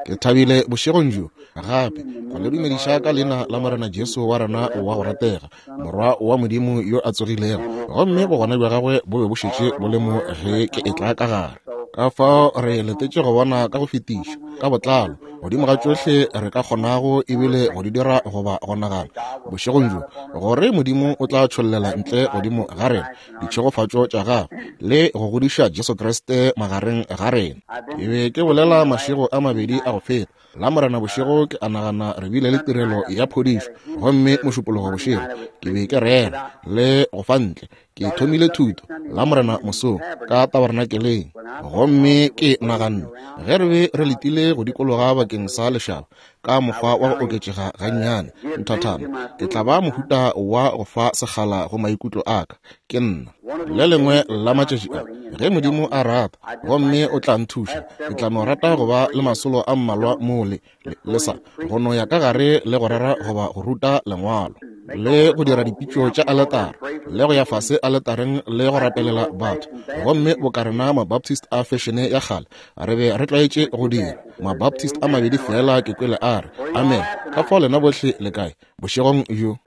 Ke thabile bošegong bjo gape go le dumediša ka leina la Morena Jesu wa rena wa go ratega, Morwa wa Modimo yo a tsogilego, gomme bogona bja gagwe bo be bo šetše bo le mo ge ke etla ka gare. Ka fao re letetše go bona ka go fetiša, ka botlalo, godimo ga tšohle re ka kgonago ebile go di dira goba go nagana, bošegong bjo, gore Modimo o tla tšhollela ntle godimo ga rena ditšhegofatšo tša gagwe le go godiša Jesu Kriste magareng ga rena. Ke be ke bolela mašego a mabedi a go feta, Lamorena bošego ke a nagana re bile le tirelo ya phodišo, gomme Mošupologo bošego ke be ke rera le go fa ntle. Ke thomile thuto Lamorena mosong ka tabernakeleng, gomme ke naganne ge re be re letile go dikologa bakeng sa lešaba ka mokgwa wa go oketšega gannyane nthathana, ke tla ba mohuta wa go fa sekgala go maikutlo a ka. Ke nna le lengwe la matšatši a, ge Modimo a rata gomme o tla nthuša, ke tla no rata go ba le masolo a mmalwa mo le, le, le sa go no ya ka gare le go rera goba go ruta Lengwalo, le go dira dipitšo tša aletara, le go ya fase aletareng le go rapelela batho. Gomme boka rena Mabaptist a fešene ya kgale re be re tlwaetše go dira, Mabaptist a mabedi feela ke kwele a re amen. Ka fao lena bohle le kae bošegong bjo?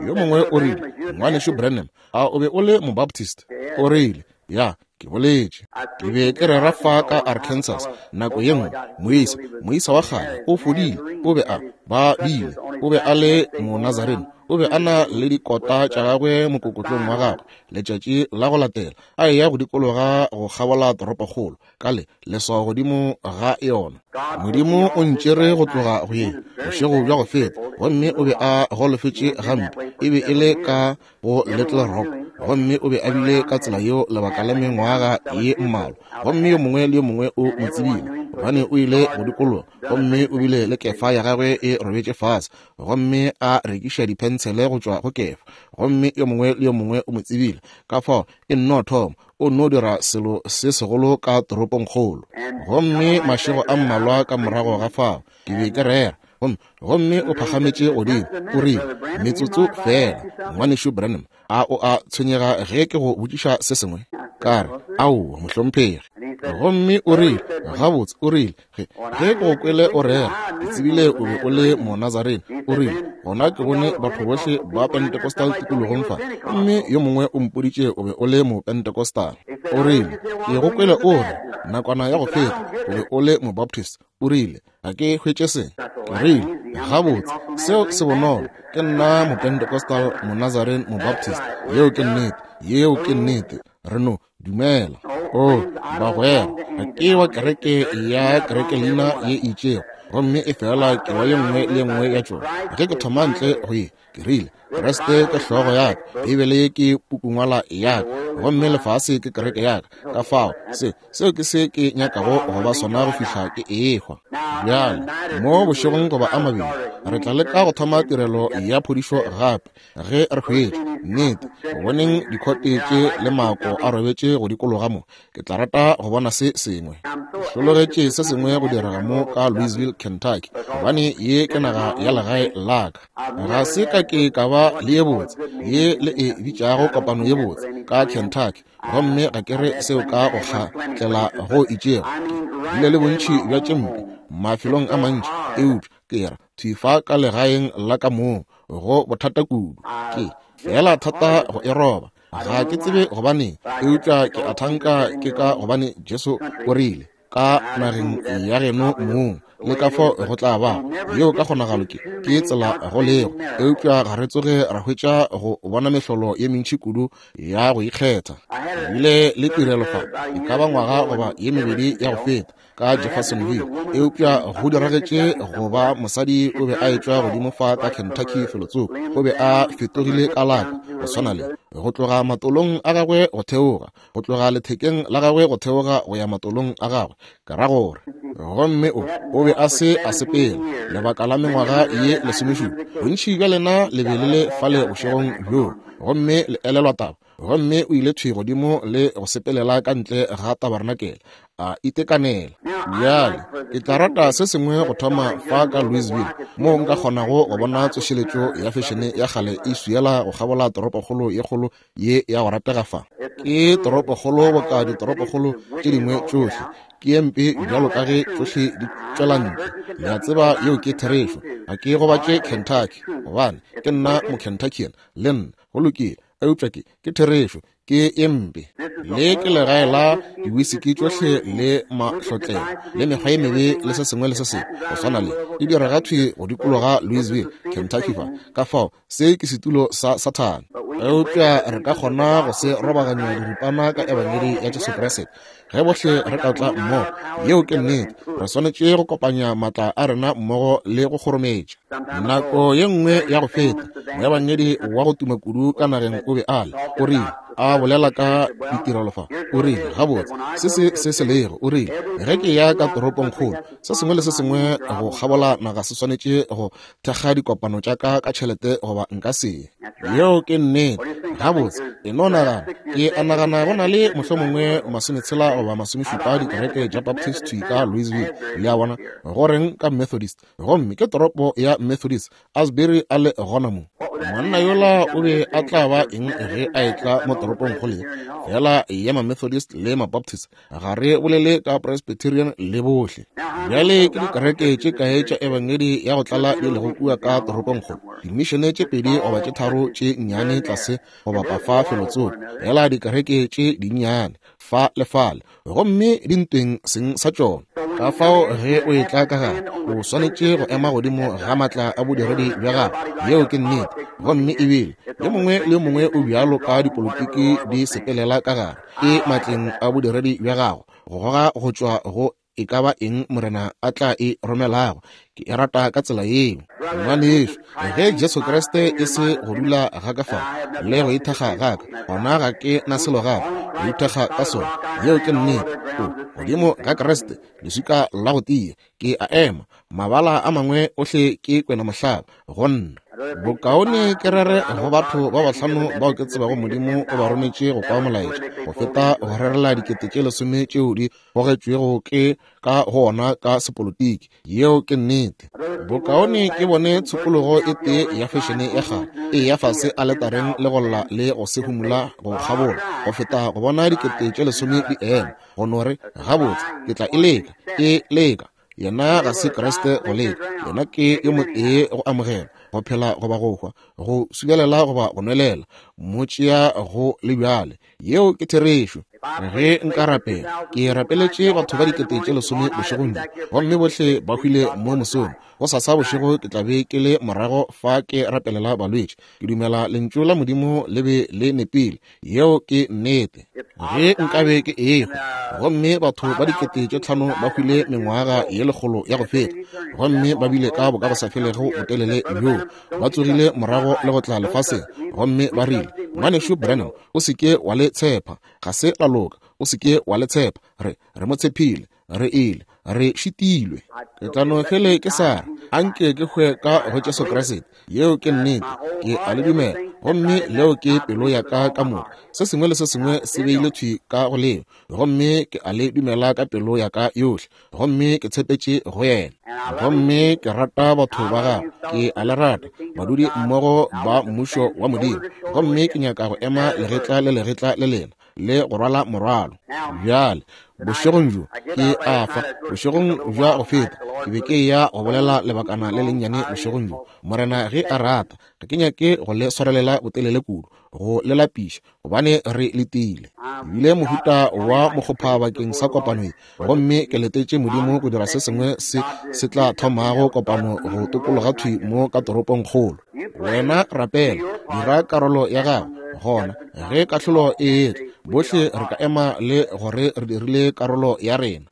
Yo mongwe o rile, Ngwanešu Branham, a o be o le Mobaptist? O rile, Ya, ke boletše. Ke be ke rera fa ka Arkansas nako ye nngwe, moisa, moisa wa kgale o fodile, o be a ba bile, o be a le Monazarene, o be a na le dikota tša gagwe mokokotlong wa gagwe. Letšatši la go latela a eya go dikologa go kgabola toropokgolo ka le leswao godimo ga yona. Modimo o ntšere go tloga go ye bošego bja go feta, gomme o be a golofetše gampe, e be e le ka go Little Rock, gomme o be a bile ka tsela yeo lebaka la mengwaga ye mmalwa, gomme yo mongwe le yo mongwe o mo tsebile, gobane o ile go dikologa, gomme o bile le kefa ya gagwe e robetše fase, gomme a rekiša diphentshele go tšwa go kefa, gomme yo mongwe le yo mongwe o mo tsebile. Ka fao e nno thoma, o nno dira selo se segolo ka toropongkgolo. Gomme mašego a mmalwa ka morago ga fao, ke be ke rera, gomme, gomme o phagametše godimo, o rile, Metsotso feela, Ngwanešu Branham, a o a tshwenyega ge ke go botšiša se sengwe? Ka re, Aowa, mohlomphegi. Gomme o rile, Gabotse, o rile, ge, ge ke go kwele o rera, ke tsebile o be o le Monazarene. O rile, Gona ke bone batho bohle ba Pentecostal tikologong fa, gomme yo mongwe o mpoditše o be o le Mopentecostal. O rile, Ke go kwele o re, nakwana ya go feta, o be o le Mobaptist. O rile, Ga ke hwetše se. Ke rile, Gabotse, seo se bonolo. Ke nna Mopentecostal, Monazarene, Mobaptist. Yeo ke nnete. Yeo ke nnete. Re no dumela. O, bagwera, ga ke wa kereke ya kerekelina ye e itšego, gomme e fela ke wa ye nngwe le ye nngwe ya tšona. Ge ke thoma ntle go ye, ke rile, Kriste ke hlogo ya ka, Beibele ke pukungwala ya ka, gomme lefase ke kereke ya ka. Ka fao, se, seo ke se ke nyakago go ba sona go fihla ke ehwa. Bjale, mo bošegong goba a mabedi, re tla leka go thoma tirelo ya phodišo gape, ge re hwetša, nnete, go boneng dikhote tše le maako a robetše go dikologa mo. Ke tla rata go bona se sengwe. Ke hlologetše se sengwe go direga mo ka Louisville, Kentucky, gobane ye ke naga ya legae la ka. Ga se ka ke ka ba le ye botse, ye le e bitšago kopano ye botse, ka Kentucky, gomme ga ke re seo ka go kgatlela go itšego. Ke bile le bontši bja tše mpe mafelong a mantši, eupša ke ra thwi fa ka legaeng la ka mong go bothata kudu. Ke feela thata go e roba. Ga ke tsebe gobaneng, eupša ke a thanka ke ka gobane Jesu o rile, ka nageng ya geno mong, le ka fao go tla ba. Yeo ka kgonagalo ke, ke tsela go lego, eupša ga re tsoge ra hwetša go bona mehlolo ye mentši kudu ya go ikgetha. Ke bile le tirelo fa e ka ba ngwaga goba ye mebedi ya go feta, ka Jeffersonville, eupša go diragetše go ba mosadi o be a etšwa godimo fa ka Kentucky felotsoko, o be a fetogile kalaka go swana le go tloga matolong a gagwe go theoga, go tloga lethekeng la gagwe go theoga go ya matolong a gagwe, ke ra gore. Gomme o, o be a se a sepela lebaka la mengwaga ye lesomešupa. Bontši bja lena le be le le fale bošegong bjoo, gomme le elelwa taba. Gomme o ile thwi godimo le go sepelela ka ntle ga tabarnakele, a itekanela. Bjale, ke tla rata se sengwe go thoma fa ka Louisville, moo nka kgonago go bona tsošeletšo ya fešene ya kgale e swiela go kgabola toropokgolo ye kgolo ye ya go ratega fa. Ke toropokgolo boka ditoropokgolo tše dingwe tšohle. Ke ye mpe bjalo ka ge tšohle di tšwela ntle. Le a tseba yeo ke therešo. Ga ke gobatše Kentucky, gobane ke nna Mokentuckian, le nna. Go lokile. Eupša ke, ke therešo. Ke ye mpe. Le ke legae la diwisiki tšohle le mahlotlelo le mekgwa ye mebe le se sengwe le se sengwe go swana le di direga thwi go dikologa Louisville, Kentucky fa. Ka fao se ke setulo sa Sathane. Eupša re ka kgona go se robaganya diripana ka Ebangedi ya Jesu Kriste ge bohle re ka tla mmogo. Yeo ke nnete. Re swanetše go kopanya maatla a rena mmogo le go kgorometša. Nako ye nngwe ya go feta, moebangedi wa go tuma kudu ka nageng o be a le, o rile, a bolela ka ditirelo fa, o rile, gabotse, se se se se lego, o rile, ge ke ya ka toropongkgolo, se sengwe le se sengwe go kgabola naga se swanetše go thekga dikopano tša ka ka tšhelete goba nka se ye. Yeo ke nnete. Gabotse, e no nagana, ke a nagana go na le mohlomongwe masometshela goba masomešupa dikereke tša Baptist thwi ka Louisville, le a bona, go reng ka Methodist? Gomme ke toropo ya Methodist, Asbury a le gona mo. Monna yola o be a tla ba eng ge a etla mo toropongkgolo ye? Feela ya ma-Methodist le ma-Baptist, ga re bolele ka Presbyterian le bohle. Bjale ke dikereke tše kae tša ebangedi ya go tlala di lego kua ka toropongkgolo? Dimišene tše pedi goba tše tharo tše nnyane tlase go bapa fa felotsoko, feela dikereke tše dinnyane fa le fale, gomme di ntweng seng sa tšona. Ka fao ge o etla ka gare, o swanetše go ema godimo ga maatla a bodiredi bja gago. Yeo ke nnete. Gomme ebile yo mongwe le yo mongwe o bjalo ka dipolotiki di sepelela ka gare, ke matleng a bodiredi bja gago go goga go tšwa go e ka ba eng Morena a tla e romelago. Ke e rata ka tsela yeo. Ngwanešu, ge Jesu Kriste e se go dula ga ka fa le go ithekga ga ka, gona ga ke na selo gape go ithekga ka sona. Yeo ke nnete. O godimo ga Kriste, leswika la go tia, ke a ema. Mabala a mangwe ohle ke kwena mohlaba go nna. Bokaone ke rere go batho ba bahlano bao ke tsebago Modimo o ba rometše go kwa molaetša, go feta go rerela dikete tše lesome tšeo di gogetšwego ke ka go ona ka sepolotiki. Yeo ke nnete. Bokaone ke bone tshokologo e tee ya fešene ya kgale e ya fase aletareng le go lla le go se humula go kgabola, go feta go bona dikete tše lesome di ema go no re, Gabotse, ke tla e leka. E leka. Yena ga se Kriste go leka. Yena ke yo motee go amogela, go phela goba go hwa, go subelela goba go nwelela, mo tšea go le bjale. Yeo ke therešo. Ge nka rapela, ke rapeletše batho ba dikete tše lesome bošegong bjo, gomme bohle ba hwile mo mosong. Gosasa bošego ke tla be ke le morago fa ke rapelela balwetši. Ke dumela Lentšu la Modimo le be le nepile. Yeo ke nnete. Ge nkabe ke ehwa, gomme batho ba dikete tše tlhano ba hwile mengwaga ye lekgolo ya go feta, gomme ba bile ka bokagosafelego botelele bjoo, ba tsogile morago le go tla lefaseng, gomme ba rile, Ngwanešu Branham, o se ke wa le tshepa. Ga se la loka. O se ke wa le tshepa. Re, re mo tshephile. Re ile. Re šitilwe. Ke tla no fele ke sa re, a nke ke hwe ka go Jesu Kriste. Yeo ke nnete. Ke a le dumela. Gomme leo ke pelo ya ka ka moka. Se sengwe le se sengwe se beile thwi ka go leo. Gomme ke a le dumela ka pelo ya ka yohle. Gomme ke tshepetše go yena. Gomme ke rata batho ba gagwe. Ke a le rata, badudi mmogo ba Mmušo wa Modimo. Gomme ke nyaka go ema legetla le legetla le lena, le go rwala morwalo. Bjale, bošegong bjo, ke a fa, bošegong bja go feta, ke be ke eya go bolela lebakana le lennyane bošegong bjo, Morena ge a rata. Ga ke nyake go le swarelela botelele kudu, go le lapiša, gobane re letile. Ke bile mohuta wa mokgopha bakeng sa kopano ye, gomme ke letetše Modimo go dira se sengwe se se tla thomago kopano go tokologa thwi mo ka toropongkgolo. Wena rapela, dira karolo ya gago, gona ge kahlolo e etla, bohle re ka ema le gore re dirile karolo ya rena.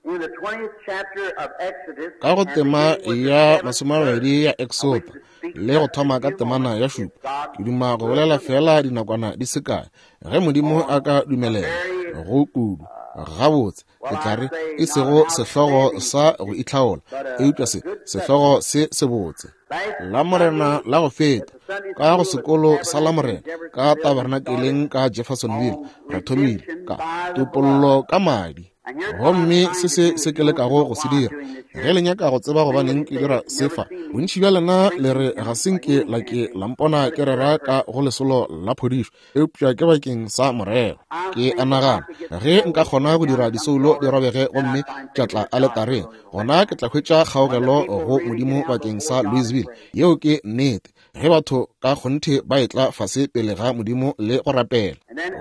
Ka go tema ya masomabedi ya Exoda le go thoma ka temana ya šupa, ke duma go bolela feela dinakwana di se kae, ge Modimo a ka dumelela, go kudu gabotse ke tla re e sego sehlogo sa go itlhaola, eupša se sehlogo se sebotse. Lamorena la go feta, ka go sekolo sa Lamorena ka tabernakeleng ka Jeffersonville, re thomile ka topollo ka madi. Gomme se se se ke lekago go se dira. Ge le nyaka go tseba gobaneng ke dira se fa, bontši bja lena le re ga se nke la ke la mpona ke rera ka go lesolo la phodišo, eupša ke bakeng sa morero. Ke a nagana, ge nka kgona go dira disoulo di robege gomme tša tla aletareng, gona ke tla hwetša kgaogelo go Modimo bakeng sa Louisville. Yeo ke nnete. Ge batho ka kgonthe ba etla fase pele ga Modimo le go rapela.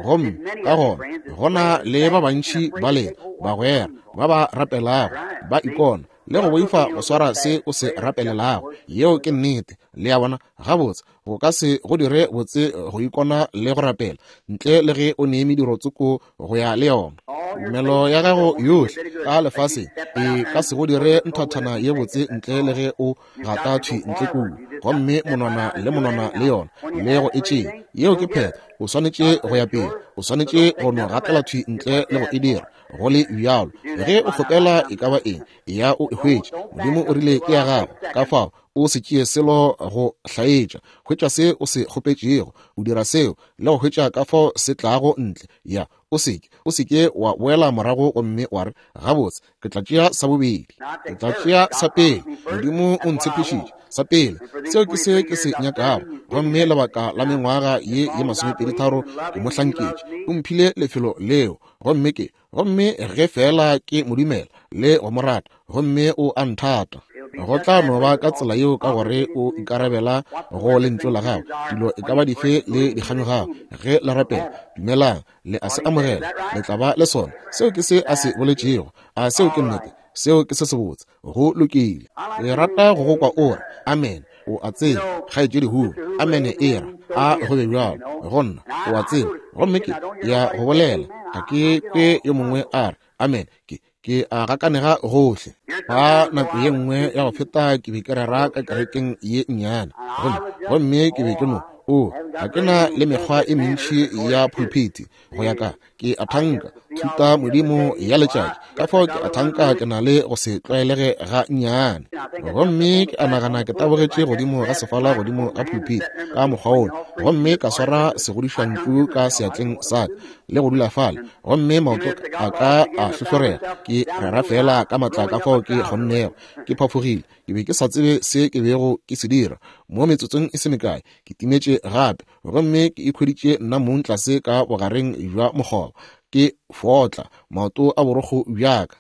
Gomme ka gona go na le ba bantši ba lena bagwera ba ba rapelago, ba ikona le go boifa go swara se o se rapelelago. Yeo ke nnete. Le a bona? Gabotse, go ka se go dire botse go ikona le go rapela ntle le ge o ne mediro tsoko go ya le yona. Tumelo ya gago yohle ka lefaseng e ka se go dire nthathana ye botse ntle le ge o gata thwi ntle kua, gomme monwana le monwana le yona, le go e tšea. Yeo ke phetho. O swanetše go ya pele. O swanetše go no gatela thwi ntle le go e dira, go le bjalo. Ge o kgopela e ka ba eng, ya o e hwetše. Modimo o rile ke ya gago, ka fao o se tšee selo go hlaetša. Hwetša se o se kgopetšego, o dira seo, le go hwetša ka fao se tlago ntle. Ya, o se ke, o se ke wa boela morago gomme wa re, Gabotse, ke tla tšea sa bobedi. Ke tla tšea sa pele. Modimo o ntshepišitše sa pele. Seo ke se ke se nyakago. Gomme lebaka la mengwaga ye ye masomepeditharo ke mo hlanketše. O mphile lefelo leo. Gomme ke, gomme ge feela ke mo dumela le go mo rata, gomme o a nthata. Go tla no ba ka tsela yeo ka gore o ikarabela go lentšu la gagwe, dilo e ka ba dife le dikganyogago. Ge le rapela, dumelang, le a se amogela, le tla ba le sona. Seo ke se a se boletšego. A seo ke nnete? Seo ke se sebotse. Go lokile. Ke rata go go kwa o re, Amen. O a tseba, kgaetšedi Hu, amene e ra, a go be bjalo go nna. O a tseba, gomme ke ya go bolela, ga ke kwe yo mongwe a re amen. Ke, ke a gakanega gohle. Fa nako ye nngwe ya go feta ke be ke rera ka kerekeng ye nnyane, gomme, gomme ke be ke no, o, ga ke na le mekgwa e mentši ya pulpiti go ya ka, ke a thanka thuta modimo ya letšatši, ka fao ke a thanka ke na le go se tlwaelege ga nnyane. Gomme ke a nagana ke tabogetše godimo ga sefala godimo ga pulpiti ka mokgwa wola, gomme ka swara segodišantšu ka seatleng sa ka le go dula fale, gomme maoto a ka a hlohlorega. Ke rera feela ka matla ka fao ke kgonnego. Ke phafogile. Ke be ke sa tsebe se ke bego ke se dira. Mo metsotsong e se mekae ke timetše gape, gomme ke ikhweditše nna mong tlase ka bogareng bja mokgoba, ke fotla maoto a borokgo bja ka.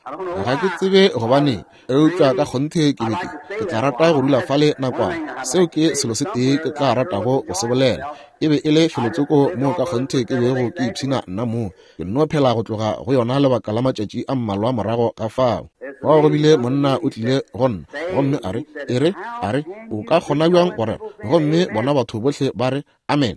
Ga ke tsebe gobaneng, eupša ka kgonthe ke be ke, ke tla rata go dula fale nakwana. Seo ke selo se tee ke tla ratago go se bolela. E be e le felotsoko moo ka kgonthe ke bego ke ipshina nna mong. Ke nno phela go tloga go yona lebaka la matšatši a mmalwa morago ga fao. Fao go bile monna o tlile go nna, gomme a re, E re, a re, o ka kgona bjang go rera, gomme bona batho bohle ba re, Amen?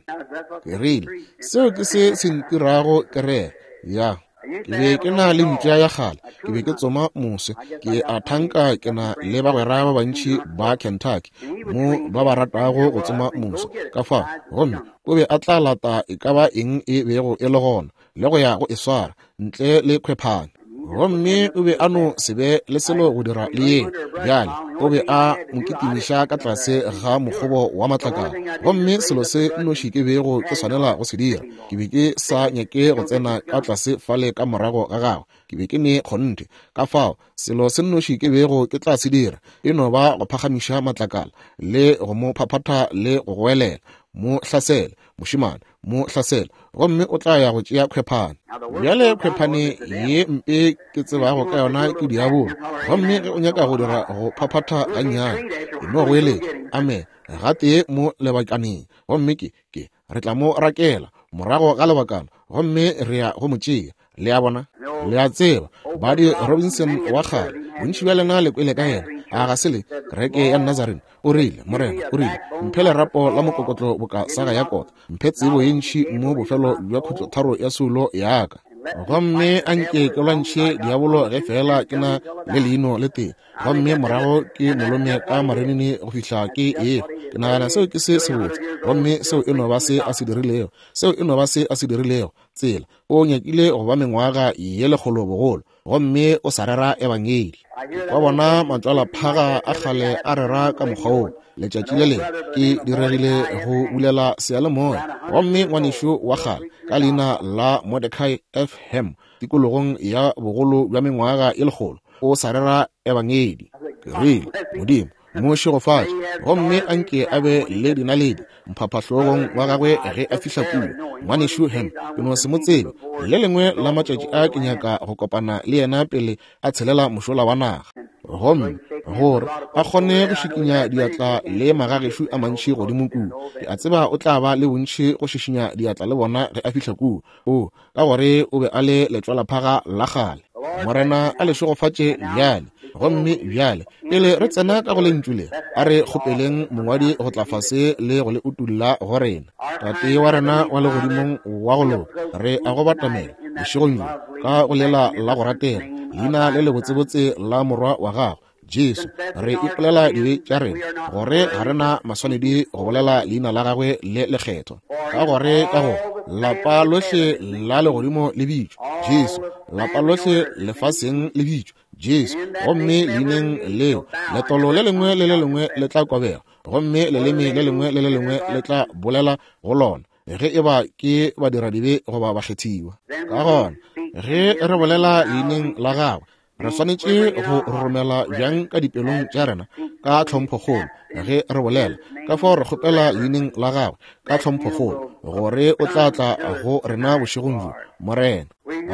Ke rile, Seo ke se se ntirago ke rere. Ya. Ke be ke na le mpša ya kgale, ke be ke tsoma moswe. Ke a thanka ke na le bagwera ba bantši ba Kentucky mo ba ba ratago go tsoma moswe. Ka fao, gomme o be a tla lata e ka ba eng e bego e le gona, le go ya go e swara, ntle le khwephane. Gomme o be a no se be le selo go dira le yeo. Bjale, o be a mo kitimiša ka tlase ga mokgobo wa matlakala. Gomme selo se nnoši ke bego ke swanela go se dira, ke be ke sa nyake go tsena ka tlase fale ka morago ga gagwe. Ke be ke ne kgonthe. Ka fao, selo se nnoši ke bego ke tla se dira e no ba go phagamiša matlakala le go mo phaphatha le go goelela, Mo hlasele, mošemane, mo hlasele, gomme o tla ya go tšea khwephane. Bjale khwephane ye mpe ke tsebago ka yona ke diabolo. Gomme ge o nyaka go dira go phaphatha gannyane, e no goeletša amen gatee mo lebakaneng, gomme ke, ke, re tla mo rakela morago ga lebakana, gomme re ya go mo tšea. Le a bona? Le a tseba, Buddy Robinson wa kgale, bontši bja lena le kwele ka yena, a ga se le? Kereke ya Nazarene. O rile, Morena, o rile, mphe lerapo la mokokotlo boka saga ya kota, mphe tsebo ye ntši mo bofelo bja khutlotharo ya soulo ya ka. Gomme a nke ke lwantšhe diabolo ge feela ke na le leino le tee, gomme morago ke molome ka marinini go fihla ke ehwa. Ke nagana seo ke se sebotse, gomme seo e no ba se a se dirilego. Seo e no ba se a se dirilego. Tsela, o nyakile go ba mengwaga ye lekgolo bogolo. gomme o sa rera Ebangedi. Ke kwa bona matšwalaphaga a kgale a rera ka mokgwa woo. Letšatši le lengwe ke diregile go bulela seyalemoya, gomme ngwanešu wa kgale ka leina la Mordecai F. Ham, tikologong ya bogolo bja mengwaga ye lekgolo, o sa rera Ebangedi. Ke rile, Modimo, mo šegofatše, gomme a nke a be le dinaledi mphaphahlogong wa gagwe ge a fihla kua. Ngwanešu Ham, ke no se mo tsebe. Le lengwe la matšatši a ke nyaka go kopana le yena pele a tshelela mošola wa naga, gomme gore a kgone go šikinya diatla le magagešo a mantši godimo kua. Ke a tseba o tla ba le bontši go šišinya diatla le bona ge a fihla kua. O, ka gore o be a le letšwalaphaga la kgale. Morena a le šegofatše bjale. Gomme bjale, pele re tsena ka go lentšu le, a re kgopeleng mongwadi go tla fase le go le utulla go rena. Tate wa rena wa legodimong wa go loka, re a go batamela bošegong bjo ka go lela la go ratega, leina le lebotsebotse la Morwa wa gago, Jesu. Re ipolela dibe tša rena, gore ga re na maswanedi go bolela leina la gagwe le lekgethwa, ka gore ka go lapa lohle la legodimo le bitšwa Jesu, lapa lohle lefaseng le bitšwa Jesu, gomme leineng leo letolo le lengwe le le lengwe le tla kobega, gomme leleme le lengwe le le lengwe le tla bolela go lona, ge e ba ke badiradibe goba bakgethiwa. Ka gona ge re bolela leineng la gagwe, re swanetše go roromela bjang ka dipelong tša rena ka tlhomphokgolo ge re bolela. Ka fao re kgopela leineng la gagwe ka tlhomphokgolo gore o tla tla go rena bošegong bjo, Morena.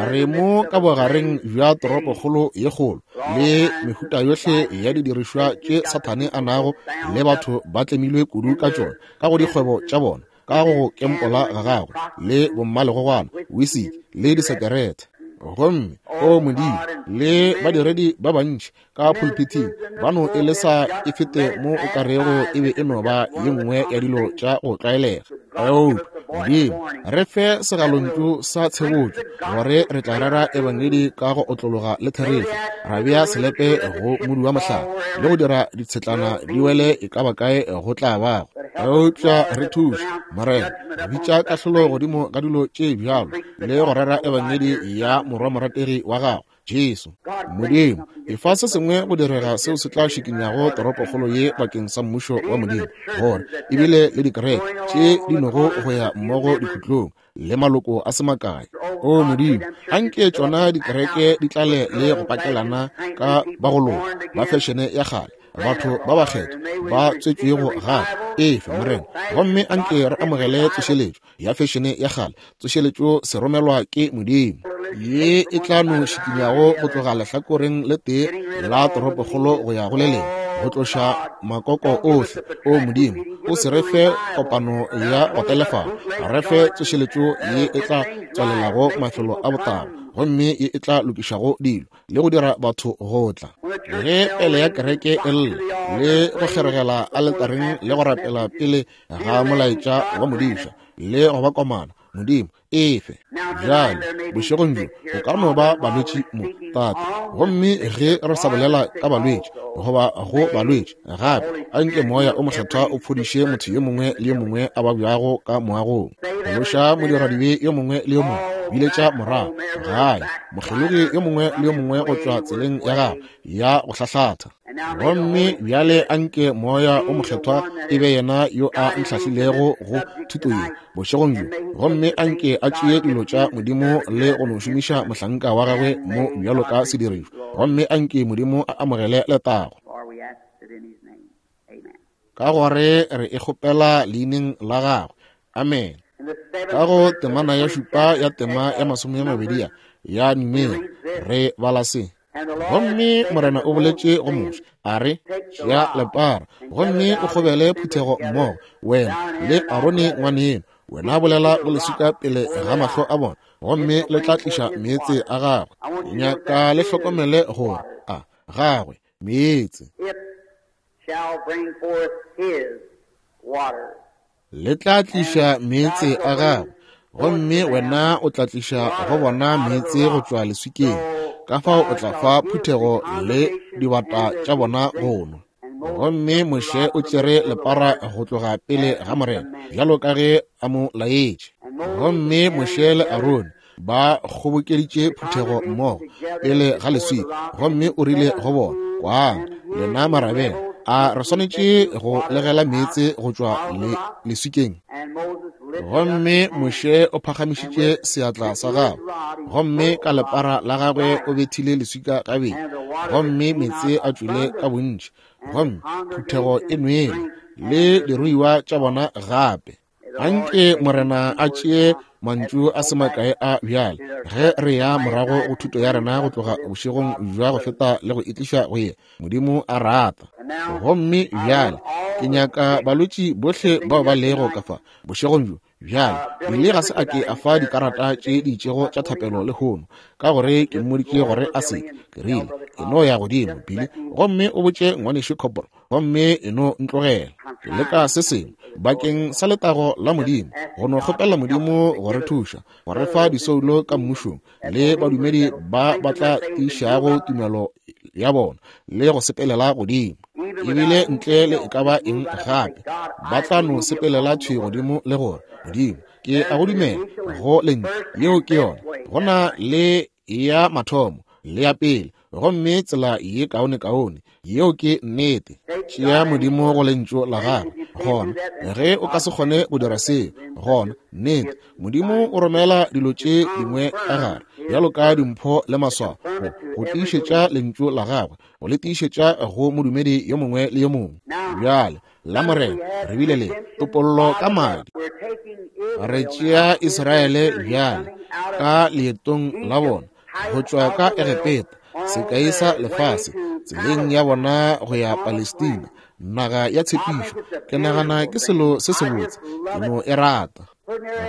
Re mo ka bogareng bja toropokgolo ye kgolo le mehuta yohle ya didirišwa tše Sathane a nago le batho ba tlemilwe kudu ka tšona ka go dikgwebo tša bona, ka go kempola ga gagwe le bommalegogwana, wisiki le disekerete. Gomme, o Modimo, le badiredi ba bantši ka pulpithing ba no e lesa e fete mo o ka rego e be e no ba ye nngwe ya dilo tša go tlwaelega. Eupša, Modimo, re fe segalontšu sa tshebotšo gore re tla rera Ebangedi ka go otlologa le therešo, ra bea selepe go modu wa mohlare le go dira ditshetlana di wele e ka ba kae go tla bago. Eupša re thuše, Morena, go bitša kahlolo godimo ga dilo tše bjalo le go rera Ebangedi ya Morwa morategi wa gago, Jesu. Modimo, efa se sengwe go direga seo se tla šikinyago toropokgolo ye bakeng sa Mmušo wa Modimo, gore ebile le dikereke tše di nogo go ya mmogo dikhutlong le maloko a se makae. O Modimo, anke tšona dikereke di tlale le go pakelana ka ba go loka ba fešene ya kgale, batho ba bakgethwa ba tswetšwego gape. Efe, Morena, gomme anke re amogele tsošeletšo ya fešene ya kgale, tsošeletšo se romelwa ke Modimo, ye e tla no šikinyago go tloga lehlakoreng le tee la toropokgolo go ya go le lengwe, go tloša makoko ohle. O Modimo, o se re fe kopano ya go telefala, re fe tsošeletšo ye e tla tswalelago mafelo a botago, gomme ye e tla lokišago dilo le go dira batho go tla. Ge pele ya kereke e lla le go kgeregela aletareng le go rapela pele ga molaetša wa modiša le go ba komana, Modimo, efe bjale bošegong bjo go ka no ba balwetši mo, Tate. Gomme ge re sa bolela ka balwetši goba go balwetši gape, a nke Moya o Mokgethwa o fodiše motho yo mongwe le yo mongwe a babjago ka moagong. Phološa modiradibe yo mongwe le yo mongwe, biletša morago gae mokgelogi yo mongwe le yo mongwe go tšwa tseleng ya gagwe ya go hlahlatha. Gomme bjale a nke Moya o Mokgethwa e be yena yo a ntlhahlilego go thuto ye bošegong bjo, gomme a nke a tšee dilo tša Modimo le go no šomiša mohlanka wa gagwe mo bjalo ka sedirišwa, gomme a nke Modimo a amogele letago. Ka gore re e kgopela leineng la gagwe. Amen. Ka go temana ya šupa ya tema ya 20 ya Numeri re bala se. Gomme Morena o boletše go Moshe, a re, Tšea lepara, gomme o kgobele phuthego mmogo, wena le Arone ngwaneno. Wena bolela go leswika pele ga mahlo a bona, gomme le tla tliša meetse a gagwe. Nyaka le hlokomele gore a gagwe meetse. Le tla tliša meetse a gagwe, gomme wena o tla tliša go bona meetse go tšwa leswikeng. Ka fao o tla fa phuthego le dibata tša bona go nwa. Gomme Moshe o tšere lepara go tloga pele ga Morena, bjalo ka ge a mo laetše. Gomme Moshe le Arone Ba kgobokeditše phuthego mmogo pele ga leswika, gomme o rile go bona, Kwang, lena marabele, a re swanetše go legela meetse go tšwa leswikeng? Gomme Moshe o phagamišitše seatla sa gagwe, gomme ka lepara la gagwe o bethile leswika gabedi, gomme meetse a tšwile ka bontši, gomme phuthego e nwele, le diruiwa tša bona gape. Anke Morena a tšee mantšu a se makae a bjale ge re ya morago go thuto ya rena go tloga bošegong bja go feta le go itliša go ye Modimo a rata. Gomme bjale ke nyaka balwetši bohle bao ba lego ka fa bošegong bjo. Bjale Billy ga se a ke a fa dikarata tše di itšego tša thapelo lehono, ka gore ke mmoditše gore a se ke. Ke rile, E no ya godimo, Billy, gomme o botše Ngwanešu Copple, gomme e no ntlogela. Ke leka se sengwe bakeng sa letago la Modimo, go no kgopela Modimo go re thuša, go re fa disoulo ka mmušong, le badumedi ba ba tla tiišago tumelo ya bona le go sepelela godimo, ebile ntle le e ka ba eng gape, ba tla no sepelela thwi godimo le gore, Modimo, ke a go dumela go Lentšu. Yeo ke yona. Go na le ya mathomo le ya pele, gomme tsela ye kaonekaone. Yeo ke nnete. Tšea Modimo go Lentšu la Gagwe. Gona, ge o ka se kgone go dira seo, gona, nnete, Modimo o romela dilo tše dingwe ka gare, bjalo ka dimpho le maswao, go, go tiišetša Lentšu la Gagwe, go le tiišetša go modumedi yo mongwe le yo mongwe. Bjale, la Morena, re bile le topollo ka madi. Re tšea Israele bjale ka leetong la bona go tšwa ka Egepeta, sekai sa lefase, tseleng ya bona go ya Palestina, naga ya tshepišo. Ke nagana ke selo se sebotse, ke no e rata.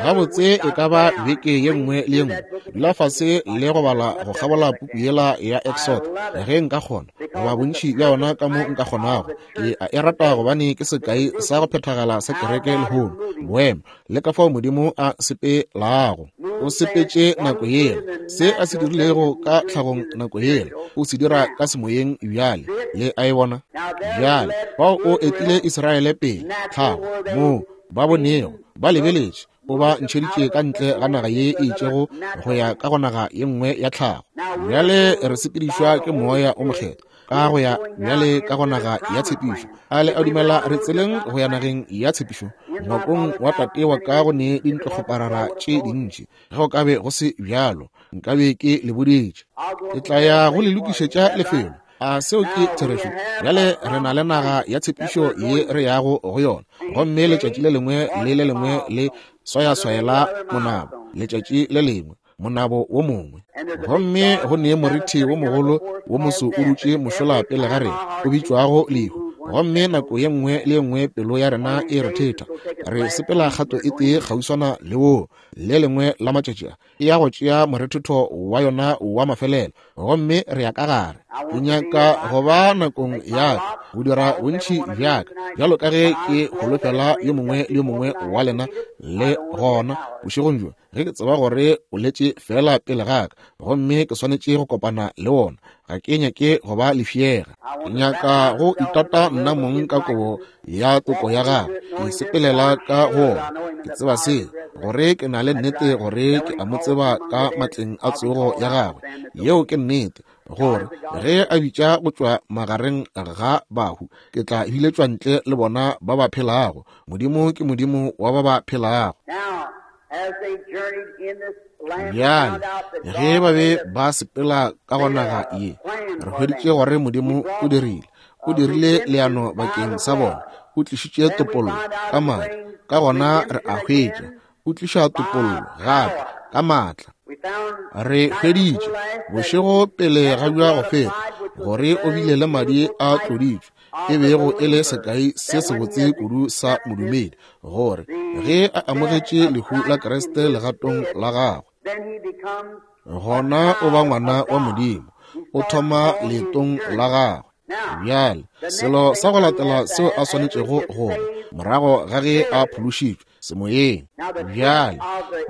Gabotse e ka ba beke ye nngwe le ye nngwe, dula fase le go bala go kgabola puku yela ya Exodo, ge nka kgona, goba bontši bja yona ka mo nka kgonago. Ke a e rata gobane ke sekai sa go phethagala sa kereke lehono, boemo, le ka fao Modimo a sepelago. O sepetše nako yela, se a se dirilego ka tlhagong nako yela, o se dira ka semoyeng bjale. Le a e bona? Bjale, fao o etile Israele pele, tlhago, moo ba bonego, ba lebeletše, o ba ntšheditše ka ntle ga naga ye e itšego go ya ka go naga ye nngwe ya tlhago. Bjale re sepedišwa ke Moya o Mokgethwa ka go ya bjale ka go naga ya tshepišo. A le a dumela re tseleng go ya nageng ya tshepišo? Ngwakong wa tate wa ka go ne dintlokgoparara tše dintši. Ge go ka be go se bjalo, nkabe ke le boditše. Ke tla ya go le lokišetša lefelo. A seo ke therešo? Bjale re na le naga ya tshepišo ye re yago go yona, gomme letšatši le lengwe le le lengwe le swayaswayela monabo, letšatši le lengwe monabo wo mongwe. Gomme go ne morithi wo mogolo wo moso o dutše mošola pele ga rena, o bitšwago lehu. Gomme nako ye nngwe le ye nngwe pelo ya rena e rethetha, re sepela kgato e tee kgauswana le woo. Le lengwe la matšatši a e ya go tšea morethetho wa yona wa mafelelo, gomme re ya ka gare. Ke nyaka go ba nakong ya ka go dira bontši bja ka bjalo ka ge ke holofela yo mongwe le yo mongwe wa lena le gona bošegong bjo, ge ke tseba gore o letše feela pele ga ka gomme ke swanetše go kopana le wona. Ga ke nyake go ba lefšega. Ke nyaka go itata nna mong ka kobo ya toko ya gagwe, ke sepelela ka go wona. Ke tseba seo, gore ke na le nnete gore ke a mo tseba ka matleng a tsogo ya gagwe. Yeo ke nnete, gore ge a bitša go tšwa magareng ga bahu, ke tla biletšwa ntle le bona ba ba phelago. Modimo ke Modimo wa ba ba phelago. Bjale, ge ba be ba sepela ka go naga ye, re hweditše gore Modimo o dirile, o dirile leano bakeng sa bona, o tlišitše topollo ka madi. Ka gona re a hwetša, o tliša topollo gape ka maatla. Re hweditše, bošego pele ga bja go feta, gore o bile le madi a tloditšwe, e bego e le sekai se sebotse kudu sa modumedi, gore ge a amogetše lehu la Kriste legatong la gagwe, gona o ba ngwana wa Modimo, o thoma leetong la gagwe. Bjale, selo sa go latela seo a swanetšego go ba, morago ga ge a phološitšwe semoyeng, bjale,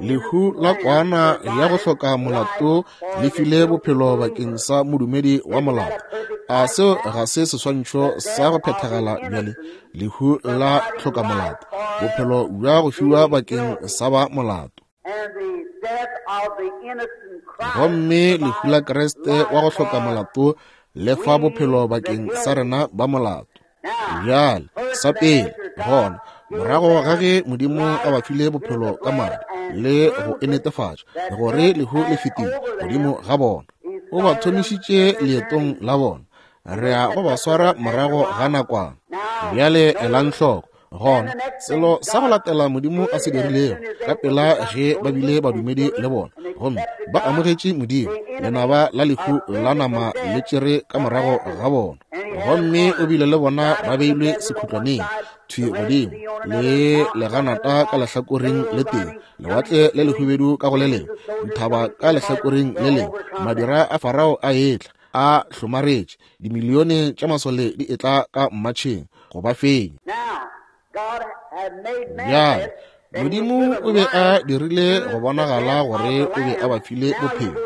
lehu la kwana ya go hloka molato le file bophelo bakeng sa modumedi wa molato. A seo ga se seswantšho sa go phethagala bjale? Lehu la hloka molato, bophelo bja go fiwa bakeng sa ba molato. Gomme lehu la Kriste wa go hloka molato le fa bophelo bakeng sa rena ba molato. Bjale, sa pele, gona, morago ga ge Modimo a ba file bophelo ka madi le go e netefatša gore lehu le fetile godimo ga bona, o ba thomišitše leetong la bona. Re ya go ba swara morago ga nakwana. Bjale elang hloko. Gona, selo sa go latela Modimo a se dirilego, ka pela ge ba bile badumedi le bona, gomme ba amogetše Modimo, lenaba la lehu la nama le tšere ka morago ga bona. Gomme o bile le bona ba beilwe sekhutlwaneng, thwi godimo, le leganata ka lehlakoreng le tee, lewatle le lehubedu ka go le lengwe, dithaba ka lehlakoreng le lengwe, madira a Farao a etla, a hlomaretše, dimilione tša masole di etla ka mmatšheng go ba fenya. Bjale, Modimo o be a dirile go bonagala gore o be a ba file bophelo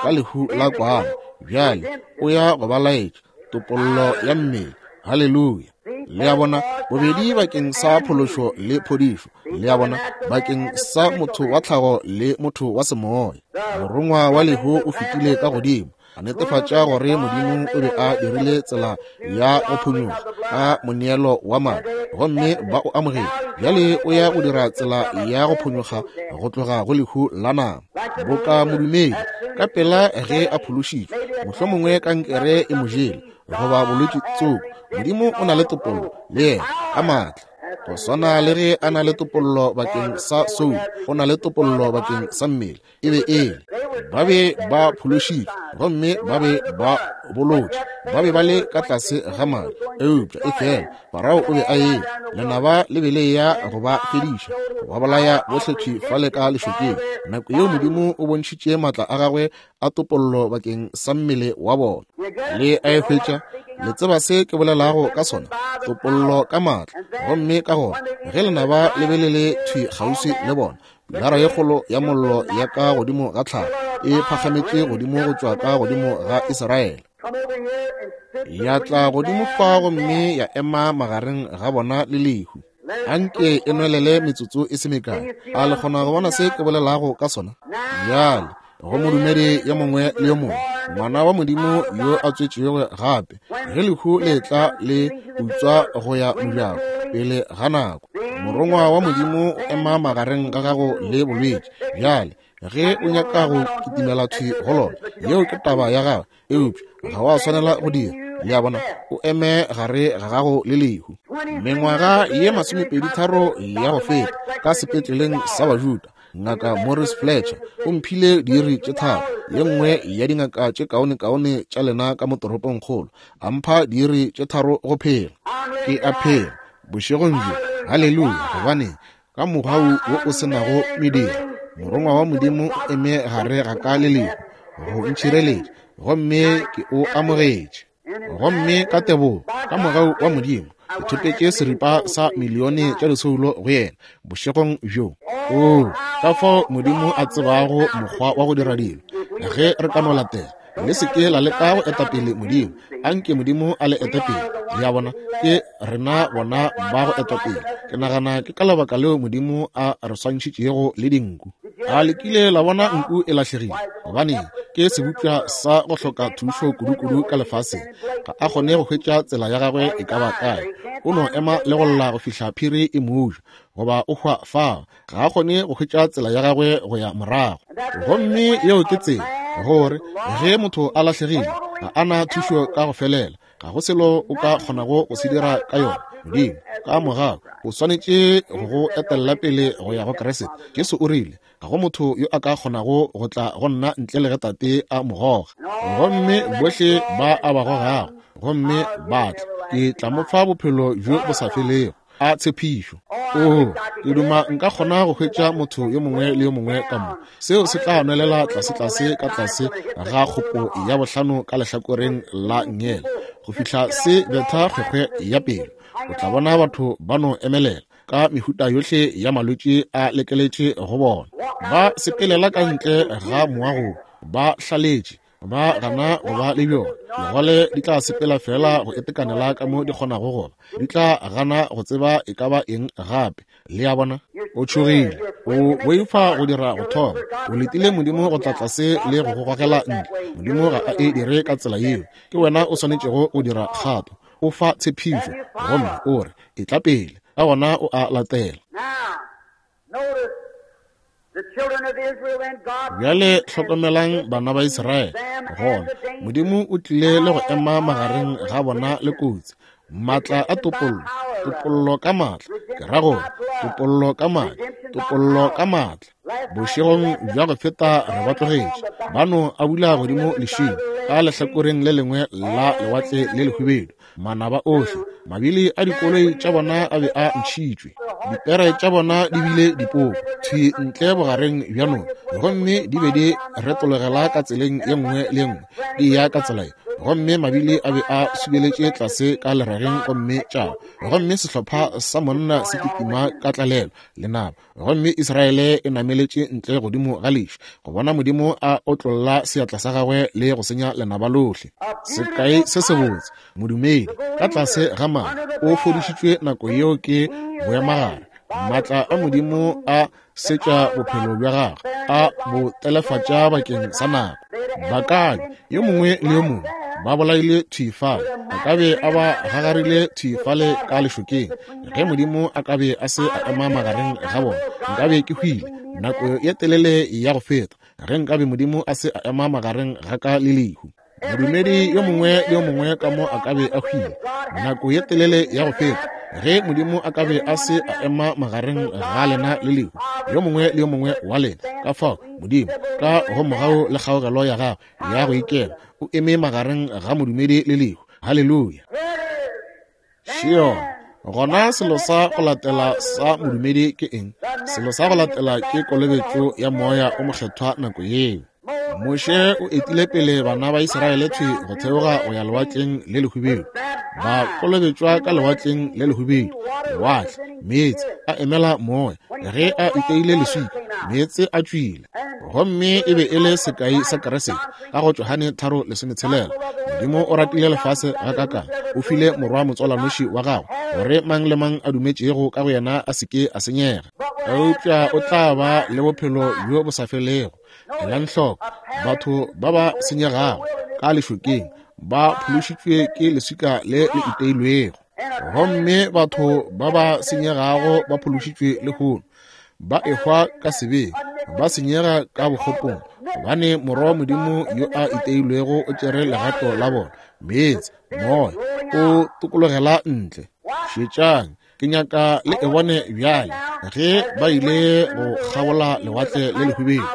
ka lehu la kwana. Bjale o ya go ba laetša topollo ya mmele. Haleluya! Le a bona, bobedi bakeng sa phološo le phodišo. Le a bona, bakeng sa motho wa tlhago le motho wa semoya. Morongwa wa lehu o fetile ka godimo, a netefatša gore Modimo o be a dirile tsela ya go phonyokga ka moneelo wa madi, gomme ba o amogetše. Bjale o ya go dira tsela ya go phonyokga go tloga go lehu la nama. Boka modumedi, ka pela ge a phološitšwe, mohlomongwe kankere e mo jele, goba bolwetši tsoko, Modimo o na le topollo le yena ka maatla. Go swana le ge a na le topollo bakeng sa soulo, o na le topollo bakeng sa mmele. E be e le ba be ba phološitšwe gomme ba be ba bolotše, ba be ba le ka tlase ga madi, eupša e fela Farao o be a eme, lenaba le be le ya go ba fediša, go ba bolaya bohle thwi fale ka lešokeng. Nako yeo Modimo o bontšhitše maatla a gagwe a topollo bakeng sa mmele wa bona. Le a e hwetša? Le tseba se ke bolelago ka sona? Topollo ka maatla. Gomme ka gona ge lenaba le be le le thwi kgauswi le bona, Pilara ye kgolo ya mollo ya ka godimo ga tlhago e phagametše godimo go tšwa ka godimo ga Israele, ya tla godimo fa gomme ya ema magareng ga bona le lehu. Anke e nwelele metsotso e se mekae. A le kgona go bona se ke bolelago ka sona? Bjale, go modumedi yo mongwe le yo mongwe, ngwana wa Modimo yo a tswetšwego gape, ge lehu le etla le utswa go ya mojako pele ga nako, morongwa wa Modimo o ema magareng ga gago le bolwetši. Bjale, ge o nyaka go kitimela thwi go lona, yeo ke taba ya gago, eupša ga wa swanela go dira. Le a bona, o eme gare ga gago le lehu. Mengwaga ye 23 ya go feta, ka sepetleleng sa Bajuda, Ngaka Morris Fletcher o mphile diiri tše tharo, ye nngwe ya dingaka tše kaonekaone tša lena ka mo toropongkgolo, a mpha diiri tše tharo go phela. Ke a phela bošegong bjo, haleluya, gobane ka mogau wo o se nago mediro, morongwa wa Modimo o eme gare ga ka le lehu go ntšhireletša, gomme ke o amogetše. Gomme ka tebogo, ka mogau wa Modimo, ke thopetše seripa sa milione tša disoulo go yena bošegong bjo. Oo, ka fao Modimo a tsebago mokgwa wa go dira dilo! Ge re ka no latela, le se ke la leka go eta pele Modimo, anke Modimo a le ete pele. Le a bona, ke rena bona ba go eta pele. Ke nagana ke ka lebaka leo Modimo a re swantšhitšego le dinku. A le kile la bona nku e lahlegile? Gobaneng, ke sebopša sa go hloka thušo kudu-kudu ka lefaseng. Ga a kgone go hwetša tsela ya gagwe e ka ba kae. O no ema le go lla go fihla phiri e mo ja, goba o hwa fao. Ga a kgone go hwetša tsela ya gagwe go ya morago. Gomme yeo ke tsela, gore ge motho a lahlegile, ga a na thušo ka go felela. Ga go selo o ka kgonago go se dira ka yona. Modimo, ka mogau, o swanetše go go etella pele go ya go Kriste. Jesu o rile, Ga go motho yo a ka kgonago go tla go nna ntle le ge Tate a mo goga. Gomme bohle ba a ba gogago, gomme ba tla, ke tla mo fa bophelo bjo bo sa felego. A tshepišo! Oo, ke duma nka kgona go hwetša motho yo mongwe le yo mongwe ka mo. Seo se tla nwelela tlasetlase ka tlase ga kgopo ya bohlano ka lehlakoreng la nngele, go fihla se betha kgwekgwe ya pelo. O tla bona batho ba no emelela ka mehuta yohle ya malwetši a lekeletše go bona. Ba sepelela ka ntle ga moago, ba hlaletše. Ba gana go ba le bjona. Digole di tla sepela feela go itekanela ka mo di kgonago go ba. Di tla gana go tseba e ka ba eng gape. Le a bona? O tšhogile. O boifa go dira go thoma. O letile Modimo go tla tlase le go go gogela ntle. Modimo ga a e dire ka tsela yeo. Ke wena o swanetšego go dira kgato. O fa tshepišo, gomme o re, Etla pele. Ka gona o a latela. Bjale hlokomelang bana ba Israele. Gona Modimo o tlile le go ema magareng ga bona le kotsi. Maatla a topollo, topollo ka maatla, ke ra gore topollo ka maatla, topollo ka maatla. Bošegong bja go feta re ba tlogetše ba no a bula godimo lešing ka lehlakoreng le lengwe la lewatle le lehubedu. Manaba ohle, mabili a dikoloi tša bona a be a ntšhitšwe, dipere tša bona di bile dipoko thwi ntle bogareng bja noka, gomme di be di retologela ka tseleng ye nngwe le ye nngwe di ya ka tsela ye, gomme mabili a be a subeletše tlase ka lerageng gomme tša gomme sehlopha sa monna se kitima ka tlalelo lenaba. Gomme Israele e nameletše ntle godimo ga leši go bona Modimo a otlolla seatla sa gagwe le go senya lenaba lohle. Sekai se sebotse, modumedi ka tlase ga madi o fodišitšwe nako yeo ke boemagare. Maatla a Modimo a setša bophelo bja gagwe, a bo telefatša bakeng sa nako. Bakabe yo mongwe le yo mongwe ba bolaile thwi fale, a ka be a ba gagarile thwi fale ka lešokeng. Ge Modimo a ka be a se a ema magareng ga bona, nkabe ke hwile nako ye telele ya go feta. Ge nkabe Modimo a se a ema magareng ga ka le lehu, modumedi yo mongwe le yo mongwe ka mo a ka be a hwile nako ye telele ya go feta. Ge Modimo a ka be a se a ema magareng ga lena le lehu, yo mongwe le yo mongwe wa lena. Ka fao Modimo, ka go mogau le kgaogelo ya gagwe ya go ikela, o eme magareng ga modumedi le lehu. Haleluya! Šion. Gona selo sa go latela sa modumedi ke eng? Selo sa go latela ke kolobetšo ya Moya o Mokgethwa nako yeo. Moshe o etile pele bana ba Israele thwi go theoga go ya lewatleng le lehubedu. Ba kolobetšwa ka lewatleng le lehubedu. Lewatle, meetse a emela moya. Ge a iteile leswika, meetse a tšwile. Gomme e be e le sekai sa Keresete. Ka go Johane 3:16, Modimo o ratile lefase gakakang, o file Morwa motswalwanoši wa gagwe, gore mang le mang a dumetšego ka go yena a se ke a senyega, eupša o tla ba le bophelo bjo bo sa felego. Elang hloko, batho ba ba senyegago ka lešokeng ba phološitšwe ke leswika le le iteilwego, gomme batho ba ba senyegago ba phološitšwe lehono ba ehwa ka sebeng, ba senyega ka bokgopong, gobane Morwa wa Modimo yo a iteilwego o tšere legato la bona. Meetse, moya o tokologela ntle. Šetšang, ke nyaka le e bone bjale. Ge ba ile go kgabola lewatle le lehubedu,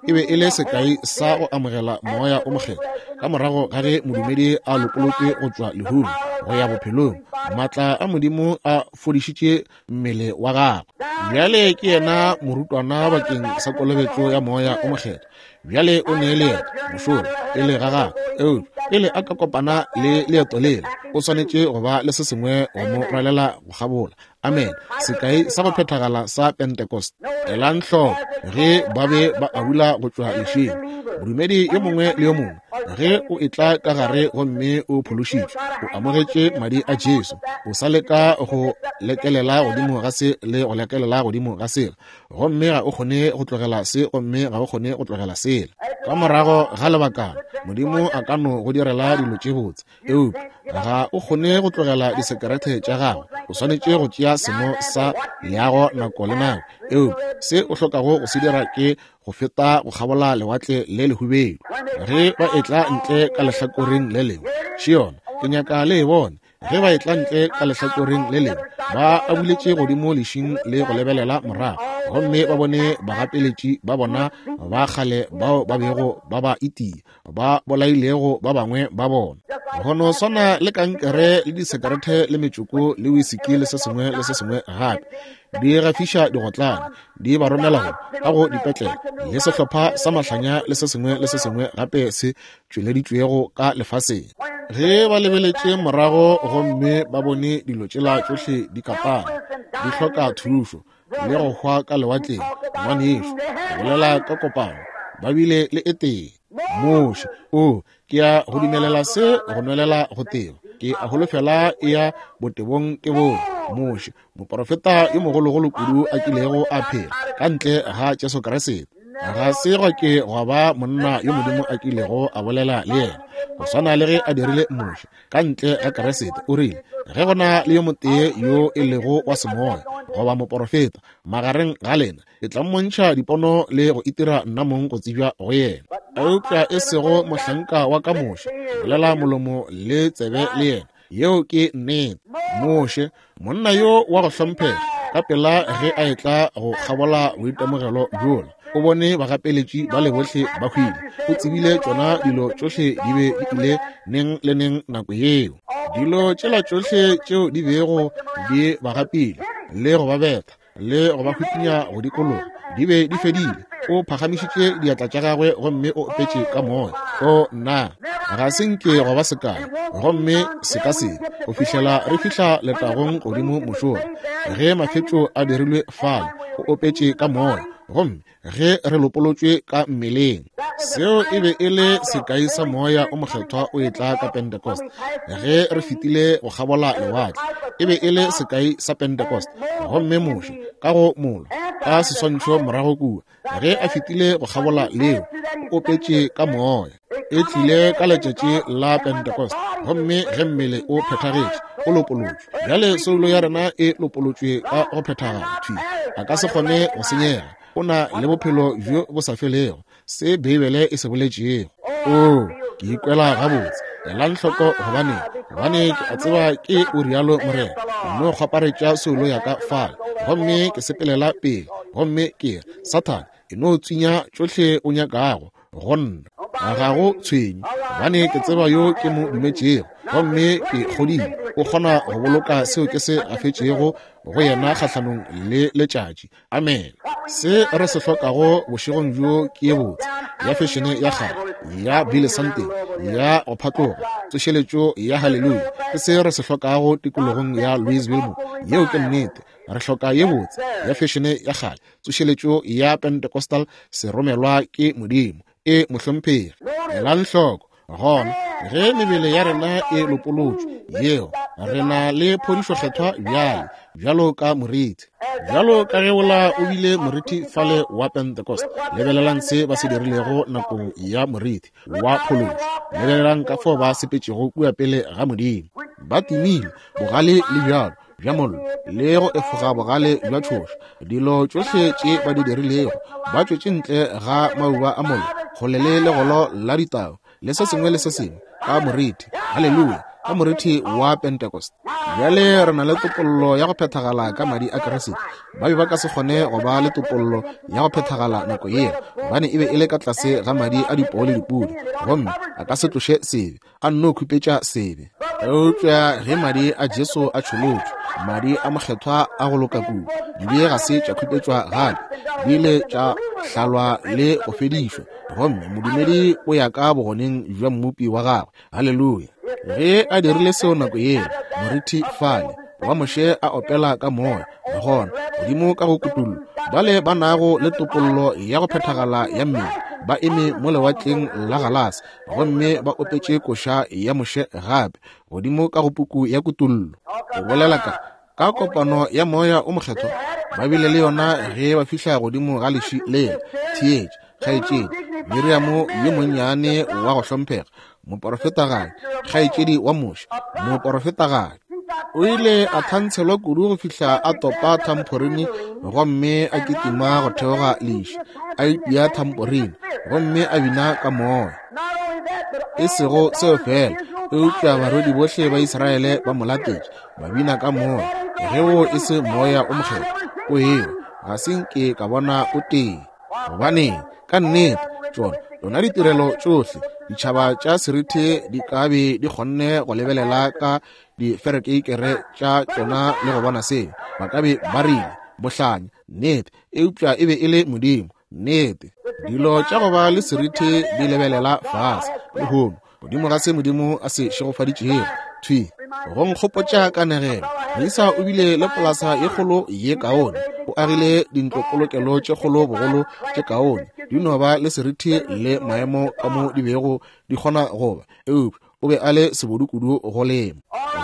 e be e le sekai sa go amogela Moya o Mokgethwa ka morago ga ge modumedi a lopolotšwe go tšwa lehung go ya bophelong. Maatla a Modimo a fodišitše mmele wa gagwe. Bjale ke yena morutwana bakeng sa kolobetšo ya Moya o Mokgethwa. Bjale o ne leeto mošola pele ga gagwe, eupša pele a ka kopana le leeto lela, o swanetše go ba le se sengwe go mo rwalela go kgabola. Amen. Sekai sa go phethagala sa Pentecost. Elang hloko ge ba be ba abula go tšwa lešing. Modumedi yo mongwe le yo mongwe, ge o etla ka gare gomme o phološitšwe, o amogetše madi a Jesu, o sa leka go lekelela godimo ga se le go lekelela godimo ga sela, gomme ga o kgone go tlogela se gomme ga o kgone go tlogela sela. Ka morago ga lebakana, Modimo a ka no go direla dilo tše botse, eupša ga o kgone go tlogela disekerete tša gago. O swanetše go tšea seno sa leago nako le nako, eupša se o hlokago go se dira ke go feta go kgabola lewatle le lehubedu. Ge ba etla ntle ka lehlakoreng le lengwe, še yona, ke nyaka le e bone. Ge ba etla ntle ka lehlakoreng le lengwe, ba abuletše godimo lešing le go lebelela morago, gomme ba bone bagapeletši ba bona ba kgale bao ba bego ba ba itia, ba bolailego ba bangwe ba bona. Go no swana le kankere le disekerete le metšoko le wisiki le se sengwe le se sengwe gape, di gafiša digotlane, di ba romela go ka go dipetlele le sehlopha sa mahlanya le se sengwe le se sengwe gape se tšweleditšwego ka lefaseng. Ge ba lebeletše morago gomme ba bone dilo tšela tšohle di katana, di hloka thušo le go hwa ka lewatleng, ngwanešu, go bolela ka kopano, ba bile le e tee. Moshe, o, ke ya go dumelela se go nwelela go teba. Ke a holofela e ya botebong ke bone. Moshe, moporofeta yo mogologolo kudu a kilego a phela, ka ntle ga Jesu Kriste. Ga se gwa ke gwa ba monna yo Modimo a kilego a bolela le yena, go swana le ge a dirile Moshe, ka ntle ga Kriste. O rile, ge go na le yo motee yo e lego wa semoya goba moporofeta magareng ga lena, ke tla mmontšha dipono le go itira nna mong go tsebja go yena. Eupša e sego mohlanka wa ka Moshe, bolela molomo le tsebe le yena. Yeo ke nnete. Moshe, monna yo wa go hlomphega, ka pela ge a etla go kgabola boitemogelo bjola, o bone bagapeletši ba le bohle ba hwile. O tsebile tšona dilo tšohle di be di ile neng le neng nako yeo. Dilo tšela tšohle tšeo di bego di ba gapile le go ba betha le go ba hwipinya go dikologa di be di fedile. O phagamišitše diatla tša gagwe gomme o opetše ka moya. O nna, ga se nke go ba sekai, gomme se ka se go fihlela re fihla letagong godimo mošola, ge mafetšo a dirilwe fale. O opetše ka moya, gomme ge re lopolotšwe ka mmeleng. Seo e be e le sekai sa Moya o Mokgethwa o etla ka Pentecost. Ge re fetile go kgabola lewatle, e be e le sekai sa Pentecost. Gomme Moshe, ka go molwa, ka seswantšho morago kua, ge a fetile go kgabola leo, o opetše ka Moya. E tlile ka letšatši la Pentecost, gomme ge mmele o phethagetše, o lopolotšwe. Bjale soulo ya rena e lopolotšwe ka go phethagala thwi. A ka se kgone go senyega. O na le bophelo bjo bo sa felego, se Beibele e se boletšego. Oo, ke ikwela gabotse. Elang hloko, gobane, gobane ke a tseba ke o rialo Morena. Ke no kgwaparetša soulo ya ka fale, gomme ke sepelela pele, gomme ke re, Sathane, e no tswinya tšohle o nyakago go nna, ga go tshwenye, gobane ke tseba yo ke mo dumetšego, gomme ke kgodile o kgona go boloka seo ke se gafetšego go yena kgahlanong le letšatši. Amen. Se re se hlokago bošegong bjo ke ye botse ya fešene ya kgale ya Billy Sunday ya go phatloga, tsošeletšo ya haleluya. Ke se re se hlokago tikologong ya Louisville mo. Yeo ke nnete. Re hloka ye botse ya fešene ya kgale, tsošeletšo ya Pentecostal, se romelwa ke Modimo. E mohlomphegi. Elang hloko gona, ge mebele ya rena e lopolotšwe, yeo re na le phodišo kgethwa bjale, bjalo ka morithi, bjalo ka ge wola o bile morithi fale wa Pentecost. Lebelelang se ba se dirilego nakong ya morithi wa phološo. Lebelelang ka fao ba sepetšego kua pele ga Modimo, ba timile bogale le bjalo bja mollo le go efoga bogale bja tšhoša. Dilo tšohle tše ba di dirilego, ba tšwetše ntle ga mauba a mollo kgole le legolo la ditau le se sengwe le se sengwe, ka morithi, haleluya, ka morithi wa Pentecost. Bjale re na le topollo ya go phethagala ka madi a Kriste. Ba be ba ka se kgone go ba le topollo ya go phethagala nako yeo, gobane e be e le ka tlase ga madi a dipoo le dipudi, gomme a ka se tloše sebe, a nno khupetša sebe. Eupša ge madi a Jesu a tšholotšwe, madi a mokgethwa a go loka kudu, dibe ga se tša khupetšwa gape, di ile tša hlalwa le go fedišwa, gomme modumedi o ya ka bogoneng bja Mmopi wa gagwe. Haleluya! Ge a dirile seo nako yeo, morithi fale wa Moshe a opela ka moya, gona godimo ka go kutullo, bale ba nago le topollo ya go phethagala ya mmele ba eme mo lewatleng la galase gomme ba opetše koša ya Moshe gape godimo ka go puku ya Kutullo. Go bolela ka ka kopano ya Moya o Mokgethwa ba bile le yona ge ba fihla godimo ga leši lela. Theetša, kgaetšedi Miriamo yo monnyane wa go hlomphega, moporofetagadi, kgaetšedi wa Moshe, moporofetagadi, o ile a thantshelwa kudu go fihla a topa thamporini gomme a kitima go theoga leši, a ipea thamporini gomme a bina ka moya. E sego seo fela, eupša barwedi bohle ba Israele ba mo latetše, ba bina ka moya. Ge wo e se Moya o Mokgethwa o ewa, ga se nke ka bona o tee. Gobaneng, ka nnete, tšona tšona ditirelo tšohle ditšhaba tša seriti di ka be di kgonne go lebelela ka diferekeikere tša tšona le go bona seo, ba ka be ba rile, Bohlanya, nnete, eupša e be e le Modimo, nnete. Dilo tša go ba le seriti di lebelela fase lehono godimo ga se Modimo a se šegofaditšego. Thwi go nkgopotša kanegelo. Moisa o bile le polasa ye kgolo ye kaone, o agile dintlopolokelo tše kgolo bogolo tše kaone. Di no ba le serithi le maemo ka mo di bego di kgona go ba, eupša o be a le sebodu kudu go lema.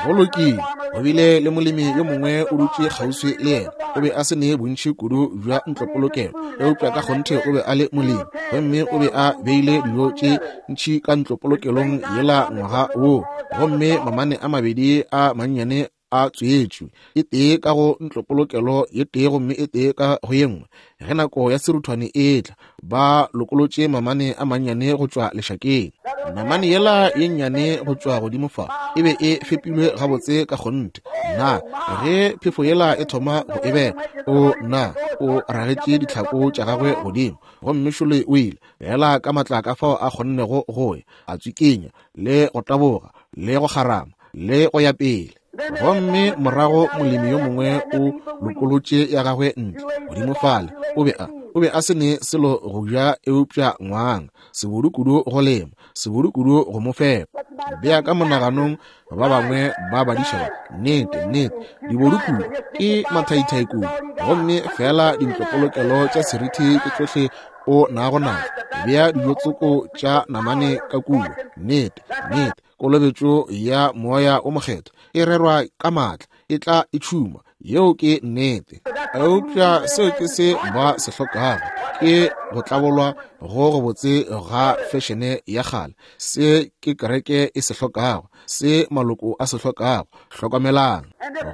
Go lokile, go bile le molemi yo mongwe o dutše kgauswi le yena. O be a se ne bontši kudu bja ntlopolokelo, eupša ka kgonthe o be a le molemi, gomme o be a beile dijo tše ntši ka ntlopolokelong yela ngwaga woo, gomme mamane a mabedi a mannyane a tswetšwe, e tee ka go ntlopolokelo ye tee gomme e tee ka go ye nngwe. Ge nako ya seruthwane e etla, ba lokolotše mamane a mannyane go tšwa lešakeng. Namane yela ye nnyane go tšwa godimo fa e be e fepilwe gabotse ka kgonthe. Na ge phefo yela e thoma go e bela, o na o ragetše ditlhako tša gagwe godimo, gomme šole o ile bela ka matla ka fao a kgonnego go ya, a tswikinya le go taboga le go kgarama le go ya pele. Gomme morago molemi yo mongwe o lokolotše ya gagwe ntle godimo fale. O be a o be a se ne selo go ja eupša ngwang, sebodu kudu go lema, sebodu kudu go mo fepa. Bea ka monaganong ba bangwe ba badiša ba, nnete, nnete, dibodu kudu, ke mathaithai kudu, gomme fela dintlopolokelo tša serithi ke tšohle o nago nazo. Bea dijo tsoko tša namane ka kua, nnete, nnete. Kolobetšo ya Moya o Mokgethwa e rerwa ka maatla, e tla e tšhuma. Yeo ke nnete. Eupša seo ke se ba se hlokago, ke go tlabolwa go gobotse ga fešene ya kgale. Se ke kereke e se hlokago, se maloko a se hlokago. Hlokomelang.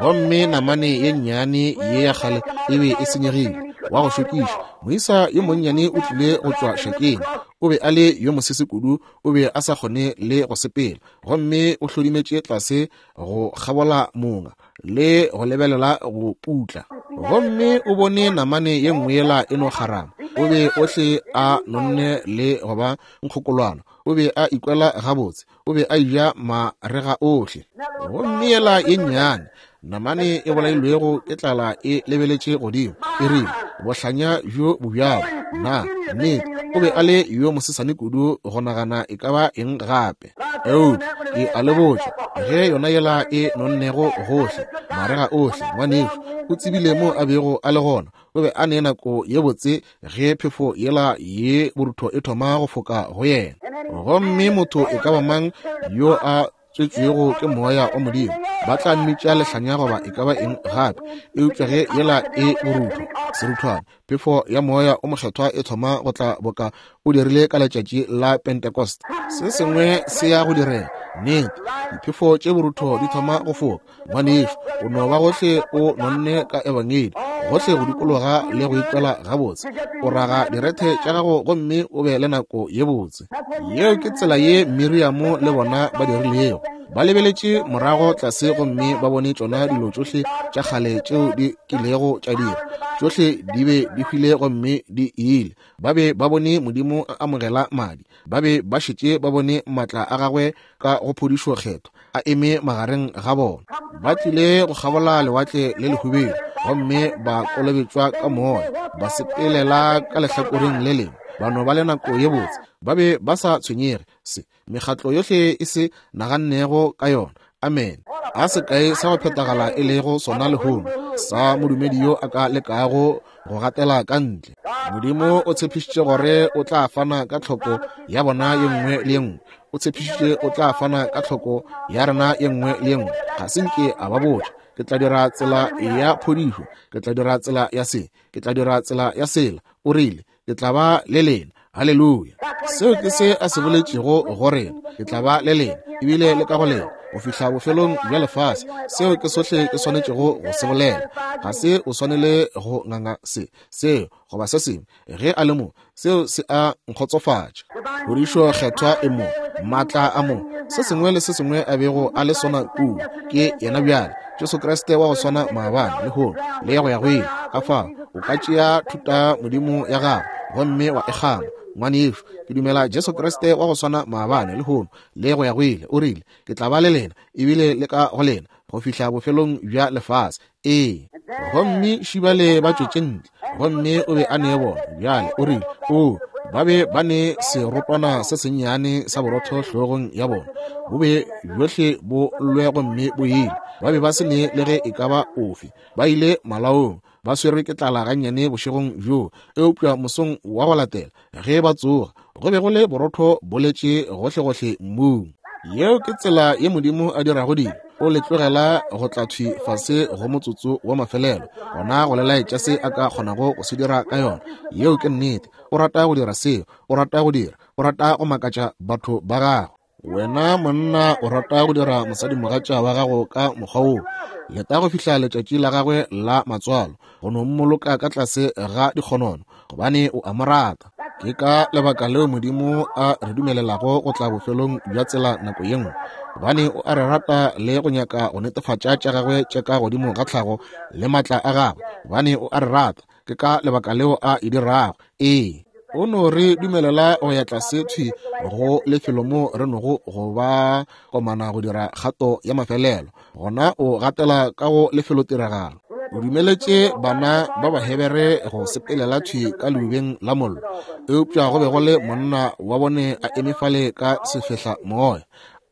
Gomme namane ye nnyane ye ya kgale e be e senyegile, wa go šokiša. Moisa yo monnyane o tlile go tšwa šakeng. O be a le yo mosese kudu, o be a sa kgone le go sepela, gomme o hlodimetše tlase go kgabola monga le go lebelela go putla, gomme o bone namane ye nngwe yela e no kgarama. O be ohle a nonne le go ba nkgokolwana, o be a ikwela gabotse, o be a eja marega ohle. Gomme yela ye nnyane namane e bolailwego ke tlala e lebeletše godimo, e rile, Bohlanya bjo bo bjalo! Na nnete o be a le yo mosesane kudu go nagana e ka ba eng gape? Eupša ke a le botša, ge yona yela e nonnego gohle, marega ohle, ngwanešu, o tsebile mo a bego a le gona. O be a ne nako ye botse ge phefo yela ye borutho e thoma go foka go yena. Gomme motho e ka ba mang yo a tswetšwego ke Moya wa Modimo, ba tla mmitša lehlanya goba e ka ba eng gape. Eupša ge yela e borutho, seruthwana, phefo ya Moya o Mokgethwa e thoma go tla boka o dirile ka letšatši la Pentecost, se sengwe se ya go direga. Nnete, diphefo tše borutho di thoma go foka. Ngwanešu, o no ba gohle o nonne ka Ebangedi, gohle go dikologa le go ikwela gabotse. O raga direthe tša gago gomme o be le nako ye botse. Yeo ke tsela ye Miriamo le bona ba dirilego. Ba lebeletše morago tlase gomme ba bone tšona dilo tšohle tša kgale tšeo di kilego tša dira. Tšohle di be di hwile gomme di ile. Ba be ba bone Modimo a amogela madi. Ba be ba šetše ba bone maatla a gagwe ka go phodišo kgethwa a eme magareng ga bona. Ba tlile go kgabola lewatle le lehubedu gomme ba kolobetšwa ka moya, ba sepelela ka lehlakoreng le lengwe, ba no ba le nako ye botse. Ba be ba sa tshwenyege se mekgatlo yohle e se nagannego ka yona. Amen. A sekae sa go phethagala e lego sona lehono, sa modumedi yo a ka lekago go gatela ka ntle. Modimo o tshepišitše gore o tla fana ka tlhoko ya bona ye nngwe le ye nngwe. O tshepišitše o tla fana ka tlhoko ya rena ye nngwe le ye nngwe. Ga se nke a ba botša, Ke tla dira tsela ya phodišo, ke tla dira tsela ya se, ke tla dira tsela ya sela. O rile, Ke tla ba le lena. Haleluya! Seo ke se a se boletšego go rena, Ke tla ba le lena, ebile le ka go lena, go fihla bofelong bja lefase. Seo ke sohle ke swanetšego go se bolela. Ga se o swanele go nganga se, seo, goba se sengwe. Ge a le mo, seo se a nkgotsofatša. Phodišo Kgethwa e mo, maatla a mo, se sengwe le se sengwe a bego a le sona kua, ke yena bjale. Jesu Kriste wa go swana maabane, lehono, le go ya go ile. Ka fao, o ka tšea thuta modimo ya gago gomme wa e kgama. Ngwanešu, ke dumela Jesu Kriste wa go swana maabane, lehono, le go ya go ile. O rile, Ke tla ba le lena, ebile le ka go lena, go fihla bofelong bja lefase. Ee. Gomme šibale ba tšwetše ntle, gomme o be a ne bona. Bjale o rile, O, ba be ba ne serotwana se sennyane sa borotho hlogong ya bona. Bo be bjohle bo llwe gomme bo ile. Ba be ba se ne le ge e ka ba ofe. Ba ile malaong, ba swerwe ke tlala gannyane bošegong bjoo, eupša mosong wa go latela, ge ba tsoga, go be go le borotho bo letše gohlegohle mmung. Yeo ke tsela ye Modimo a dirago dilo. O le tlogela go tla thwi fase go motsotso wa mafelelo, gona go le laetša se a ka kgonago go se dira ka yona. Yeo ke nnete. O rata go dira seo. O rata go dira. O rata go makatša batho ba gagwe. Wena monna o rata go dira mosadimogatša wa gago ka mokgwa woo. Leta go fihla letšatši la gagwe la matswalo, go no mmoloka ka tlase ga dikgonono, gobane o a mo rata. Ke ka lebaka leo Modimo a re dumelelago go tla bofelong bja tsela nako ye nngwe, gobane o a re rata le go nyaka go netefatša tša gagwe tša ka godimo ga tlhago le maatla a gagwe, gobane o a re rata. Ke ka lebaka leo a e dirago. Ee, o no re dumelela go ya tlase thwi go lefelo mo re nogo go ba komana go dira kgato ya mafelelo. Gona o gatela ka go lefelotiragalo. O dumeletše bana ba Bahebere go sepelela thwi ka leubeng la mollo, eupša go be go le monna wa bone a eme fale ka sefehla moya,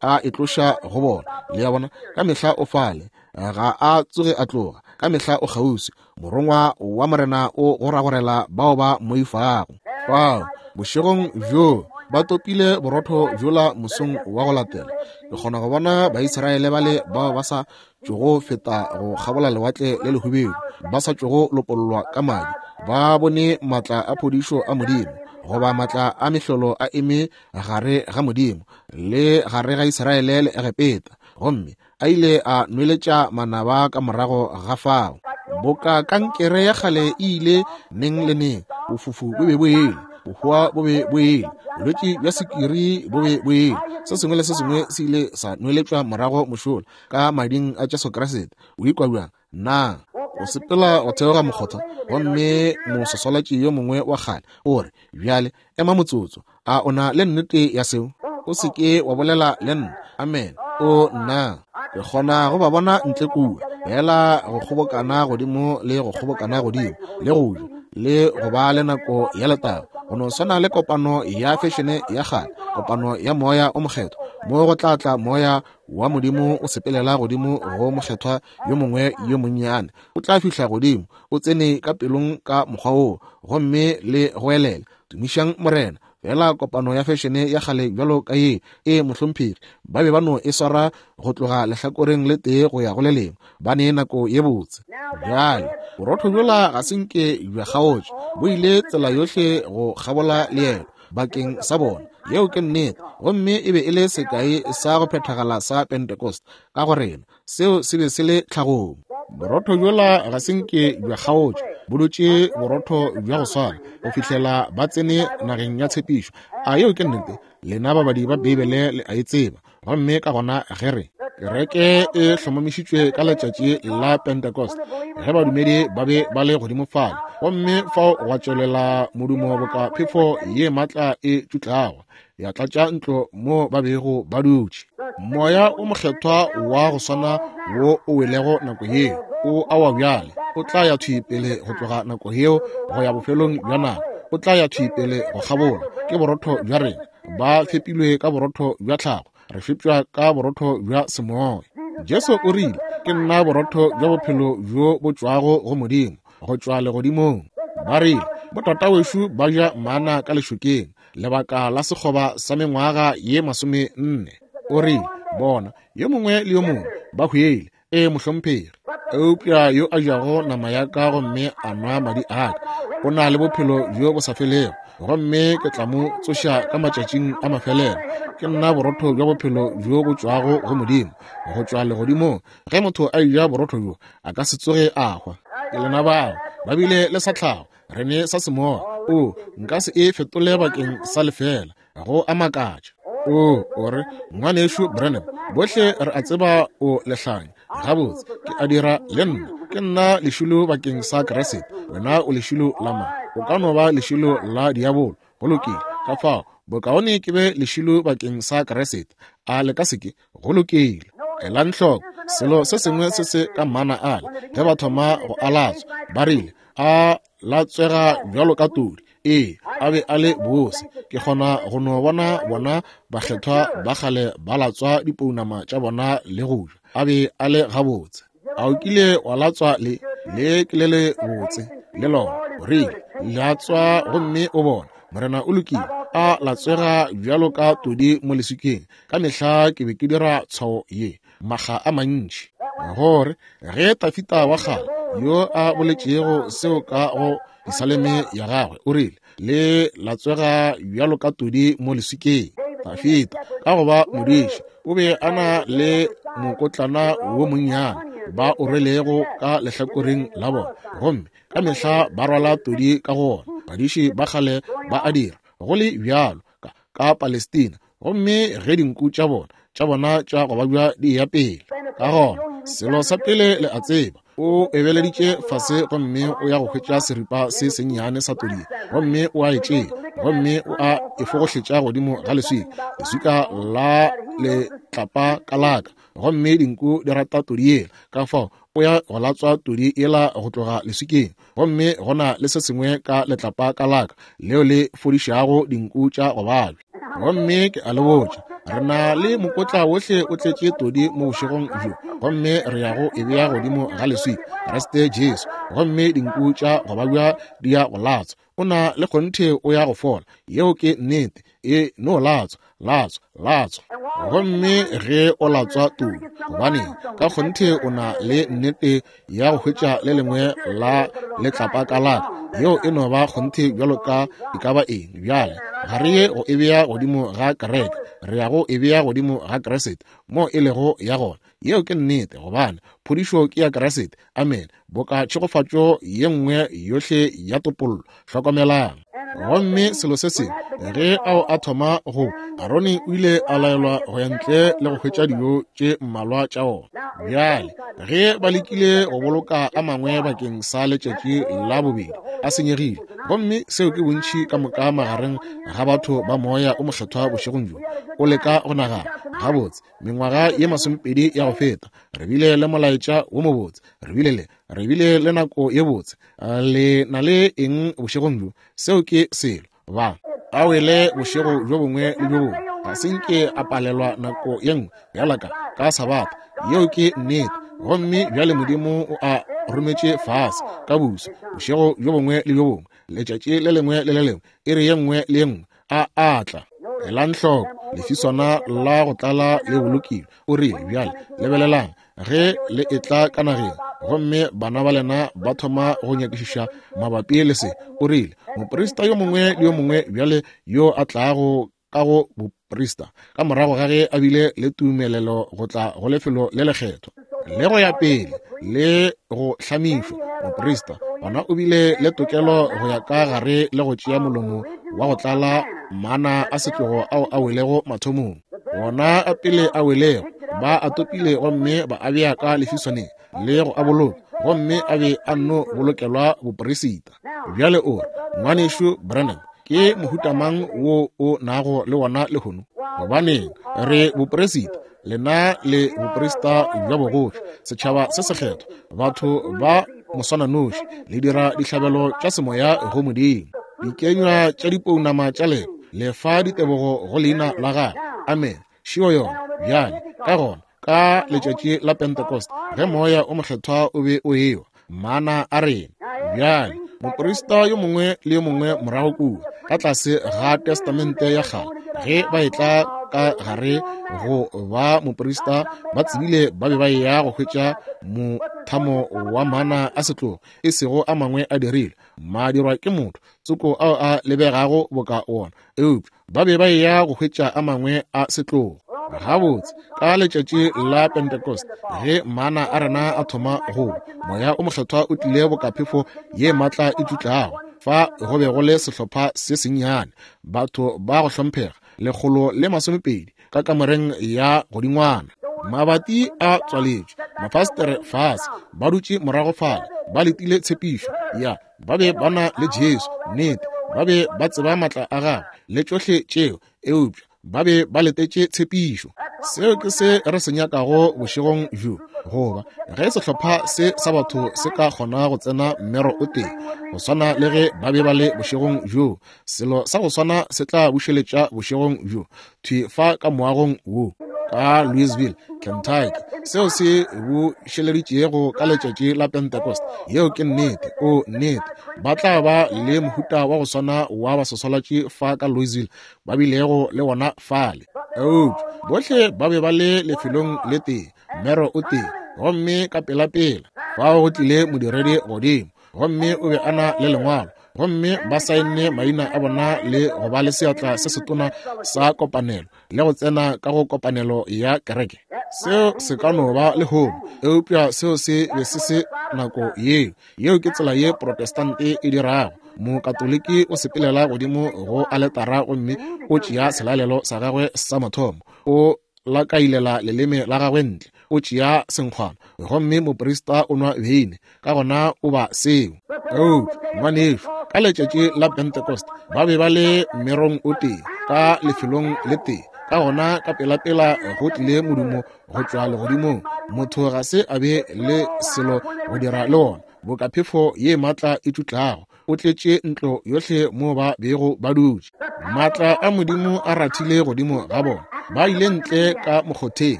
a e tloša go bona. Le a bona, ka mehla o fale, ga a tsoge a tloga, ka mehla o kgauswi. Morongwa wa Morena o goragorela bao ba mmoifago. Fao, bošegong bjoo ba topile borotho bjola mosong wa go latela. Ke kgona go bona Baisraele bale bao ba sa tšogo feta go kgabola Lewatle le Lehubedu, ba sa tšogo lopollwa ka madi, ba bone maatla a phodišo a Modimo, goba maatla a mehlolo a eme gare ga Modimo le gare ga Israele le Egepeta, gomme a ile a nweletša manaba ka morago ga fao. Boka kankere ya kgale e ile neng le neng, bofufu bo be bo ele, bohwa bo be bo ele, bolwetši bja sekiri bo be bo ele, se sengwe le se sengwe se ile sa nweletšwa morago mošola ka mading a Jesu Kriste. O ikwa bjang? Na o sepela go theoga mokgotha gomme moswaswalatši yo mongwe wa kgale o re, Bjale ema motsotso, a o na le nnete ya seo? O se ke wa bolela le nna. Amen. O nna ke kgona go ba bona ntle kua, fela go kgobokana godimo le go kgobokana godimo, le go ja le go ba le nako ya letago, go no swana le kopano ya fešene ya kgale, kopano ya Moya o Mokgethwa, mo go tla tla Moya wa Modimo o sepelela godimo go mokgethwa yo mongwe yo monnyane, o tla fihla godimo, o tsene ka pelong ka mokgwa woo, gomme le goelela, Tumišang Morena! Fela kopano ya fešene ya kgale bjalo ka ye, e mohlomphegi, ba be ba no e swara go tloga lehlakoreng le tee go ya go le lengwe, ba ne nako ye botse. Bjale, borotho bjola ga se nke bja kgaotša, bo ile tsela yohle go kgabola leeto bakeng sa bona. Yeo ke nnete. Gomme e be e le sekai sa go phethagala sa Pentecost ka go rena. Seo se be se le tlhagong. Borotho bjola ga se nke bja kgaotša, bo dutše borotho bja go swana go fihlela ba tsene nageng ya tshepišo. A yeo ke nnete? Lena babadi ba Beibele le a e tseba. Gomme ka gona ge re kereke e hlomamišitšwe ka letšatši la Pentecost, ge badumedi ba be ba le godimo fale, gomme fao gwa tšwelela modumo boka phefo ye maatla e tšutlago, ya tlatša ntlo mo ba bego ba dutše. Moya o Mokgethwa wa go swana wo o welego nako yeo o awa bjale, o tla ya thwi pele go tloga nako yeo go ya bofelong bja nako, o tla ya thwi pele go kgabola. Ke borotho bja rena, ba fepilwe ka borotho bja tlhago, re fepša ka borotho bja semoya. Jesu o rile, Ke nna borotho bja bophelo bjo bo tšwago go Modimo, go tšwa legodimong. Ba rile, Botatawešo ba ja mana ka lešokeng lebaka la sekgoba sa mengwaga ye 40. O rile, Bona, yo mongwe le yo mongwe ba hwele. Ee, mohlomphegi. Eupša yo a jago nama ya ka gomme a nwa madi a ka, o na le bophelo bjo bo sa felego, gomme ke tla mo tsoša ka matšatšing a mafelelo. Ke nna borotho bja bophelo bjo bo tšwago go Modimo, go tšwa legodimong. Ge motho a eja borotho bjo, a ka se tsoge a hwa. Ke lena bao ba bile le sa tlhago, re ne sa semoya. O, nka se e fetole bakeng sa lefela. Go a makatša. O, o re, Ngwanešu Branham, bohle re a tseba o lehlanya. Gabotse, ke a dira le nna. Ke nna lešilo bakeng sa Kriste. Wena o lešilo la mang? O ka no ba lešilo la diabolo. Go lokile. Ka fao, bokaone ke be lešilo bakeng sa Kriste. A le ka se ke? Go lokile. Elang hloko, selo se sengwe se se ka mana ale, ge ba thoma go a latswa, ba rile, A latswega bjalo ka todi. Ee, a be a le bose. Ke kgona go no bona bona bakgethwa ba kgale ba latswa dipounama tša bona le go ja. A be a le gabotse. A o kile wa latswa le? Le ke le le botse, le lona. O rile, Latswa gomme o bone. Morena o lokile. A latswega bjalo ka todi mo leswikeng. Ka mehla ke be ke dira tshwao ye, makga a mantši. Gore, ge Tafita wa kgale, yo a boletšego seo ka go Pisaleme ya gagwe, o rile, Le latswega bjalo ka todi mo leswikeng. Tafita, ka go ba modiši, o be a na le mokotlana wo monnyane ba o rwelego ka lehlakoreng la bona, gomme ka mehla ba rwala todi ka go ona. Badiši ba kgale ba a dira, go le bjalo, ka, ka Palestina. Gomme ge dinku tša bona, tša bona tša go babja di eya pele, ka gona selo sa pele le a tseba, o ebeleditše fase gomme o ya go hwetša seripa se sennyane sa todi, gomme o a e tšea gomme o a e fogohletša godimo ga leswika, leswika la letlapa ka laka, gomme dinku di rata todi yela, ka fao o ya go latswa todi yela go tloga leswikeng, gomme go na le se sengwe ka letlapa ka laka leo le fodišago dinku tša go babja. Gomme ke a le botša, re na le mokotla wohle o tletše todi mo bošegong bjo, gomme re ya go e bea godimo ga leswika, Kriste Jesu, gomme dinku tša go babja di ya go latswa. O na le kgonthe o ya go fola. Yeo ke nnete. E no latswa, latswa, latswa. Gomme ge o latswa todi, gobaneng, ka kgonthe o na le nnete ya go hwetša le lengwe la letlapa ka laka. Yeo e no ba kgonthe bjalo ka e ka ba eng. Bjale, ga re ye go e bea godimo ga kereke, re ya go e bea godimo ga Kriste, mo e lego ya gona. Yeo ke nnete, gobane phodišo ke ya Kriste. Amene. Boka tšhegofatšo ye nngwe yohle ya topollo. Hlokomelang. Gomme selo se sengwe, ge ao a thoma go, Arone o ile a laelwa go ya ntle le go hwetša dijo tše mmalwa tša ona. Bjale, ge ba lekile go boloka a mangwe bakeng sa letšatši la bobedi, a senyegile. Gomme seo ke bontši ka moka magareng ga batho ba Moya o Mokgethwa bošegong bjo. O leka go nagana, gabotse, mengwaga ye masomepedi ya go feta re bile le molaetša wo mobotse, re bile le, re bile le nako ye botse. Le na le eng bošegong bjo? Seo ke selo. Ba a wele bošego bjo bongwe le bjo bongwe, ga se nke a palelwa nako ye nngwe bjala ka, ka Sabatha. Yeo ke nnete. Gomme bjale Modimo o a rometše fase ka buso bošego bjo bongwe le bjo bongwe, letšatši le lengwe le le lengwe, iri ye nngwe le ye nngwe, a a tla. Elang hloko, lefiswana la go tlala le bolokilwe. O rile, Bjale, lebelelang, ge le etla ka nageng, gomme bana ba lena ba thoma go nyakišiša mabapi le se, o rile, moprista yo mongwe le yo mongwe bjale yo a tlago ka go boprista, ka morago ga ge a bile le tumelelo go tla go lefelo le lekgethwa, le go ya pele le go hlamišwa moprista, gona o bile le tokelo go ya ka gare le go tšea molomo wa go tlala mana a setlogo ao a welego mathomong, wona a pele a welego ba a topile gomme ba a bea ka lefiswaneng le go a boloka, gomme a be a nno bolokelwa boperisita. Bjale o re, Ngwanešu Branham, ke mohuta mang wo o nago le wona lehono? Gobaneng, re boperisita, lena le boprista bja bogoši, setšhaba se sekgethwa, batho ba moswananoši, le dira dihlabelo tša semoya go Modimo, dikenywa tša dipounama tša lena, le fa ditebogo go leina la gagwe. Amene. Šio yona. Bjale, ka gona, ka letšatši la Pentecost, ge Moya o Mokgethwa o be o ewa, mana a rena. Bjale, moprista yo mongwe le yo mongwe morago kua, ka tlase ga Testamente ya Kgale, ge ba etla ka gare go ba moprista, ba tsebile ba be ba eya go hwetša mothamo wa mana a setlogo, e sego a mangwe a dirilwe, madirwa ke motho tsoko ao a lebegago boka wona, eupša ba be ba eya go hwetša a mangwe a setlogo. Gabotse, ka letšatši la Pentecost, ge mana a rena a thoma go, Moya o Mokgethwa o tlile boka phefo ye maatla e tšutlago. Fa go be go le sehlopha se sennyane, batho ba go hlomphega, 120 ka kamoreng ya godingwana. Mabati a tswaletšwe, mafastere fase, ba dutše morago fale, ba letile tshepišo ya Ba be ba na le Jesu, nnete, ba be ba tseba maatla a gagwe le tšohle tšeo, eupša ba be ba letetše tshepišo. Seo ke se re se nyakago bošegong bjo, goba ge sehlopha se sa batho se ka kgona go tsena mmero o tee, go swana le ge ba be ba le bošegong bjo, selo sa go swana se tla bušeletša bošegong bjo, thwi fa ka moagong wo. ka Louisville, Kentucky, seo se bušeleditšego ka letšatši la Pentecost. Yeo ke nnete. O, nnete. Ba tla ba le mohuta wa go swana wa baswaswalatši fa ka Louisville ba bilego le wona fale. Eupša bohle ba be ba le lefelong le tee, mmero o tee, gomme ka pelapela fao go tlile modiredi godimo, gomme o be a na le lengwalo, gomme ba saenne maina a bona le go ba le seatla se setona sa kopanelo le go tsena ka go kopanelo ya kereke. Seo se ka no ba lehono, eupša seo se be se se nako yeo. Yeo ke tsela ye Protestante e dirago. Mokatoliki o sepelela godimo go aletara gomme o tšea selalelo sa gagwe sa mathomo, o lakailela leleme la gagwe ntle, o tšea senkgwana, gomme moprista o nwa beine, ka gona o ba seo. Eupša ngwanešu, ka letšatši la Pentecost ba be ba le mmerong o tee, ka lefelong le tee. Ka gona ka pelapela go tlile modumo go tšwa legodimong. Motho ga se a be le selo go dira le wona, boka phefo ye maatla e tšutlago. O tletše ntlo yohle mo ba bego ba dutše. Maatla a Modimo a rathile godimo ga bona. Ba ile ntle ka mokgotheng,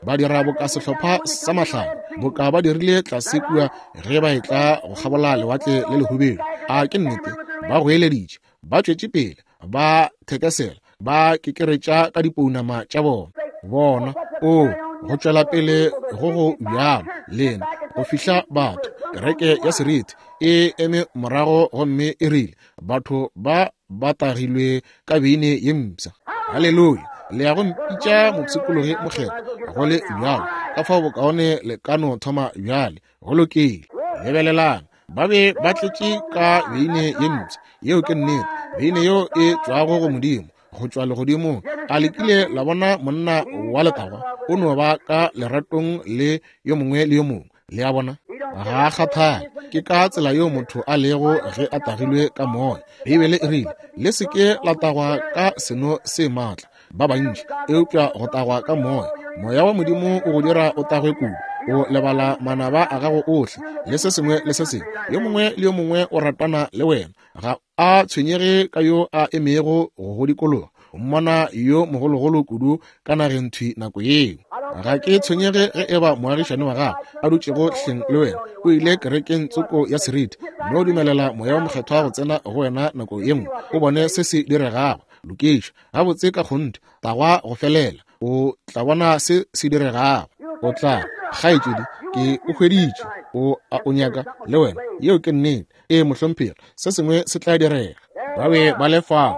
ba dira boka sehlopha sa mahlale, boka ba dirile tlase kua ge ba etla go kgabola lewatle le lehubedu. A ke nnete? Ba goeleditše, ba tšwetše pele, ba thekesela, ba kekeretša ka dipounama tša bona. Bona, o go tšwela pele go go bjalo lena go fihla batho, kereke ya seriti e eme morago gomme e rile, batho ba ba tagilwe ka beine ye mpsha. Haleluya! Le ya go mpitša mopshikologi mokgethwa, go le bjalo, ka fao bokaone le ka no thoma bjale. Go lokile. Lebelelang, ba be ba tletše ka beine ye mpsha. Yeo ke nnete, beine yeo e tšwago go Modimo, go tšwa legodimong. A le kile la bona monna wa letagwa? O no ba ka leratong le yo mongwe le yo mongwe. Le a bona? Ga a kgathale. Ke ka tsela yeo motho a lego ge a tagilwe ka moya. Beibele e rile, le se ke la tagwa ka seno se maatla ba bantši, eupša go tagwa ka moya. Moya wa Modimo o go dira o tagwe kudu, o lebala manaba a gago ohle le se sengwe le se sengwe. Yo mongwe le yo mongwe o ratana le wena, ga a tshwenyege ka yo a emego go go dikologa. O mmona yo mogologolo kudu ka nageng thwi nako yeo. Ga ke tshwenyege ge eba moagišane wa gago a dutšego hleng le wena o ile kerekeng tsoko ya seriti, mme o dumelela Moya wo Mokgethwa go tsena go wena nako ye nngwe, o bone se se diregago. Lokiša gabotse ka kgonthe, tagwa go felela, o tla bona se se diregago. O tla, kgaetšedi, ke o hweditše, o a o nyaka le wena. Yeo ke nnete. Ee, mohlomphegi, se sengwe se tla direga. Ba be ba le fao,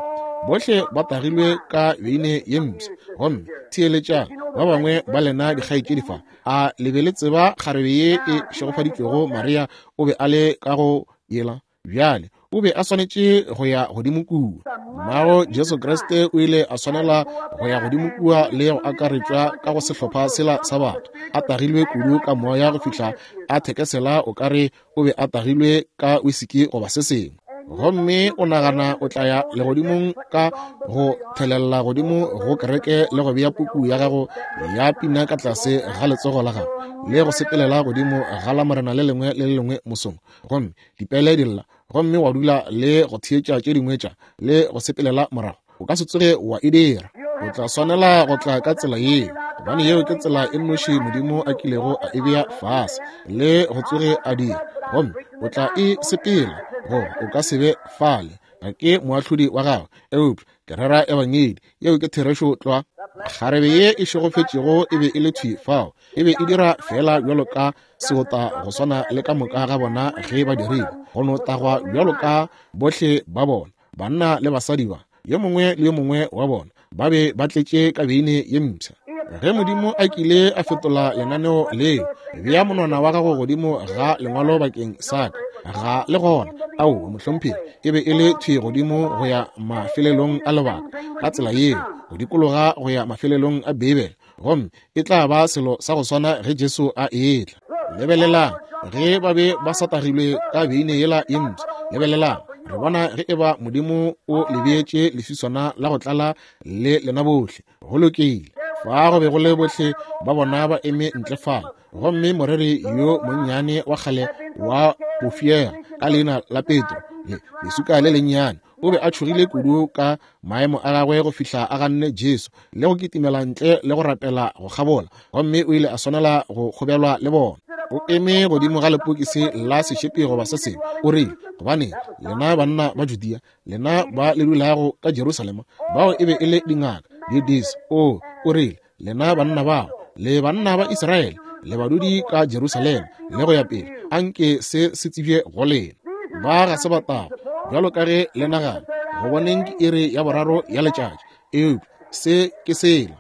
bohle ba tagilwe ka beine ye mpsha. Gomme theeletšang, ba bangwe ba lena dikgaetšedi fa, a le be le tseba kgarebe ye e šegofaditšwego Maria o be a le ka go yela? Bjale, o be a swanetše go ya godimo kua. Mmago Jesu Kriste o ile a swanela go ya godimo kua le go akaretšwa ka go sehlopha sela sa batho, a tagilwe kudu ka moya go fihla a thekesela o ka re o be a tagilwe ka wisiki goba se sengwe. Gomme o nagana o tla ya legodimong ka go thelela godimo go kereke le go bea puku ya gago ya pina ka tlase ga letsogo la gago le go sepelela godimo ga la Morena le lengwe le le lengwe mosong, gomme dipele di lla, gomme wa dula le go theetša tše dingwe tša le go sepelela morago. O ka se tsoge wa e dira. O tla swanela go tla ka tsela yeo, gobane yeo ke tsela e nnoši Modimo a kilego a e bea fase le go tsoge a dira. Gomme o tla e sepela, goba o ka se be fale. Ga ke moahlodi wa gago, eupša ke rera ebangedi. Yeo ke therešo tlwa. Kgarebe ye e šegofetšego e be e le thwi fao. E be e dira feela bjalo ka seota go swana le ka moka ga bona ge ba dirile, go no tagwa bjalo ka bohle ba bona, banna le basadi ba, yo mongwe le yo mongwe wa bona, ba be ba tletše ka beine ye mpsha. Ge Modimo a kile a fetola lenaneo leo, bea monwana wa gago godimo ga lengwalo bakeng sa ka, ga le gona. Aowa, mohlomphegi, e be e le thwi godimo go ya mafelelong a lebaka, ka tsela yeo, go dikologa go ya mafelelong a Beibele, gomme e tla ba selo sa go swana ge Jesu a etla. Lebelelang, ge ba be ba sa tagilwe ka beine yela ye mpsha, lebelelang, re bona ge eba Modimo o le beetše leswiswana la go tlala le lena bohle. Go lokile. Fa go be go le bohle ba bona ba eme ntle fale, gomme moreri yo monnyane wa kgale wa bofiega ka leina la Petro, le lesuka le lennyane, O be a tšhogile kudu ka maemo a gagwe go fihla a ganne Jesu le go kitimela ntle le go rapela go kgabola, gomme o ile a swanela go kgobelwa le bona. O eme godimo ga lepokisi la sešepi goba se sengwe, o rile, Gobane lena banna ba Judea, lena ba le dulago ka Jerusalema, bao e be e le dingaka, didisi, o rile, lena banna bao, le banna ba Israele, le badudi ka Jerusalema, le go ya pele, anke se se tsebje go lena. Ba ga se batagwa, bjalo ka ge le nagana, go boneng ke iri ya boraro ya letšatši, eupša se ke sela.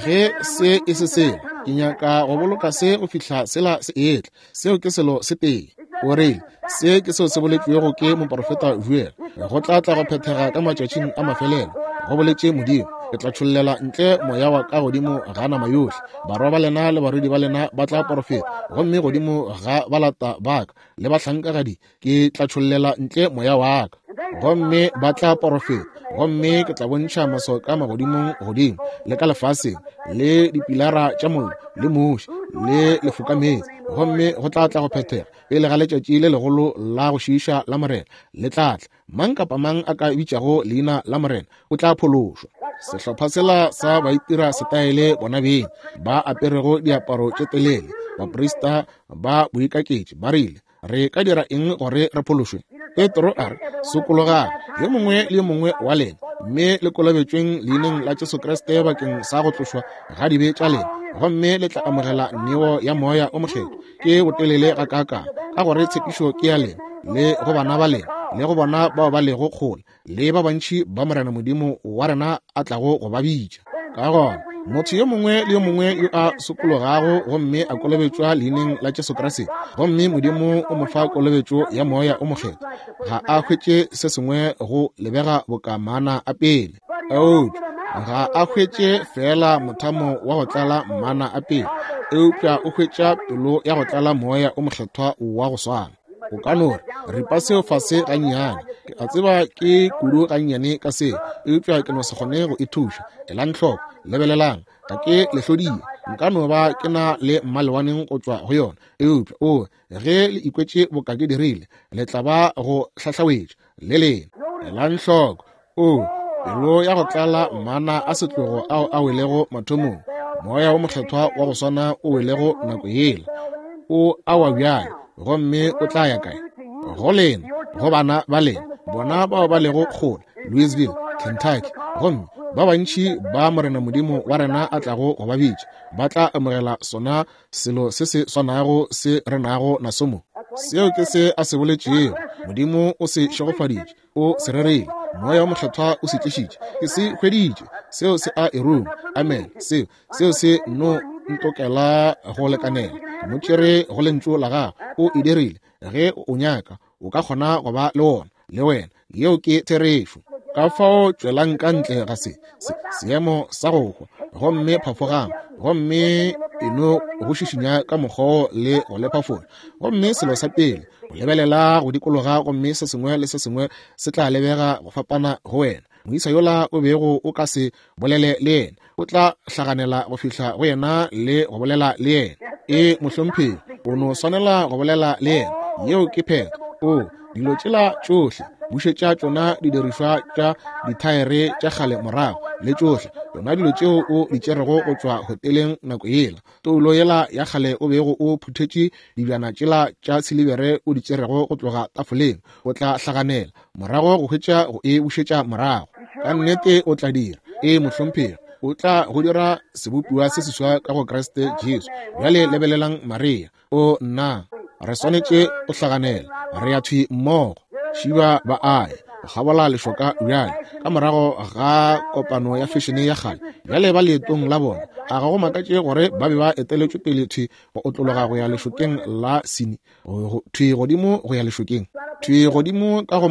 Ge se e se sela, ke nyaka go boloka se go fihla sela se etla. Seo ke selo se tee. O rile, se ke seo se boletšwego ke moporofeta Joel, go tla tla go phethega ka matšatšing a mafelelo, go boletše Modimo, ke tla tšhollela ntle moya wa ka godimo ga nama yohle, barwa ba lena le barwedi ba lena ba tla porofeta, gomme godimo ga balata ba ka le bahlankagadi ke tla tšhollela ntle moya wa ka, gomme ba tla porofeta, gomme ke tla bontšha maswao ka magodimong godimo le ka lefaseng, le dipilara tša mollo le muši le lefokameetse, gomme go tla tla go phethega pele ga letšatši le legolo la go šiiša la Morena le tla tla. Mang kapa mang a ka bitšago leina la Morena o tla phološwa. Sehlopha sela sa baitira setaele bona beng ba aperego diaparo tše telele, baprista ba boikaketši, ba rile, Re ka dira eng gore re phološwe? Petro a re, Sokologang, yo mongwe le yo mongwe wa lena, mme le kolobetšweng leineng la Jesu Kriste bakeng sa go tlošwa ga dibe tša lena, gomme le tla amogela neo ya Moya o Mokgethwa. Ke botelele gakaakang, ka gore tshepišo ke ya lena, le go bana ba lena, le go bona bao ba lego kgole, le ba bantši ba Morena Modimo wa rena a tlago go ba bitša. Ka gona, motho yo mongwe le yo mongwe yo a sokologago gomme a kolobetšwa leineng la Jesu Kriste, gomme Modimo o mo fa kolobetšo ya Moya o Mokgethwa, ga a hwetše se sengwe go lebega boka mana a pele. Eupša ga a hwetše feela mothamo wa go tlala mana a pele, eupša o hwetša pelo ya go tlala Moya o Mokgethwa wa go swana. O ka no re, ripa seo fase gannyane. Ke a tseba ke kudu gannyane ka seo, eupša ke no se kgone go e thuša. Elang hloko, lebelelang, ga ke le hlodie. Nka no ba ke na le mmalewaneng go tšwa go yona, eupša o, ge le ikwetše boka ke dirile, le tla ba go hlahlawetša le lena. Elang hloko, o, pelo ya go tlala mana a setlogo ao a welego mathomong, Moya wo Mokgethwa wa go swana o welego nako yela, o awa bjale, gomme o tla ya kae? Go lena, go bana ba lena, bona bao ba lego kgole, Louisville, Kentucky, gomme ba bantši ba Morena Modimo wa rena a tlago go ba bitša, ba tla amogela sona selo se se swanago se re nago naso mo. Seo ke se a se boletšego. Modimo o se šegofaditše. O se rerile. Moya wo Mokgethwa o se tlišitše. Ke se hweditše. Seo se a e ruma. Amen. Seo, seo se no ntokela go lekanela. Ke mo tšere go Lentšu la Gagwe. O e dirile. Ge o nyaka, o ka kgona go ba le wona, le wena. Yeo ke therešo. Ka fao tšwelang ka ntle ga se, se, seemo sa go hwa, gomme phafogang, gomme e no go šišinya ka mokgwa le go le phafola. Gomme selo sa pele, o lebelela go dikologa gomme se sengwe le se sengwe se tla lebega go fapana go wena. Moisa yola o bego o ka se bolele le yena, o tla hlaganela go fihla go yena le go bolela le yena. E, mohlomphegi, o no swanela go bolela le yena. Yeo ke phetho. O, dilo tšela tšohle, bušetša tšona didirišwa tša dithaere tša kgale morago, le tšohle tšona dilo tšeo o di tšerego go tšwa hoteleng nako yela. Toulo yela ya kgale o bego o phuthetše dibjana tšela tša silibere o di tšerego go tloga tafoleng, o tla hlaganela morago go hwetša go e bušetša morago. Ka nnete o tla dira. Ee, mohlomphegi, o tla go dira sebopiwa se seswa ka go Kriste Jesu. Bjale lebelelang Maria. O nna, re swanetše go hlaganela. Re ya thwi mmogo. Šiba ba a ya go kgabola lešoka bjale, ka morago ga kopano ya fešene ya kgale. Bjale ba leetong la bona. A ga go makatše gore ba be ba eteletšwe pele thwi go otlologa go ya lešokeng la Sini, thwi godimo go ya lešokeng, thwi godimo ka go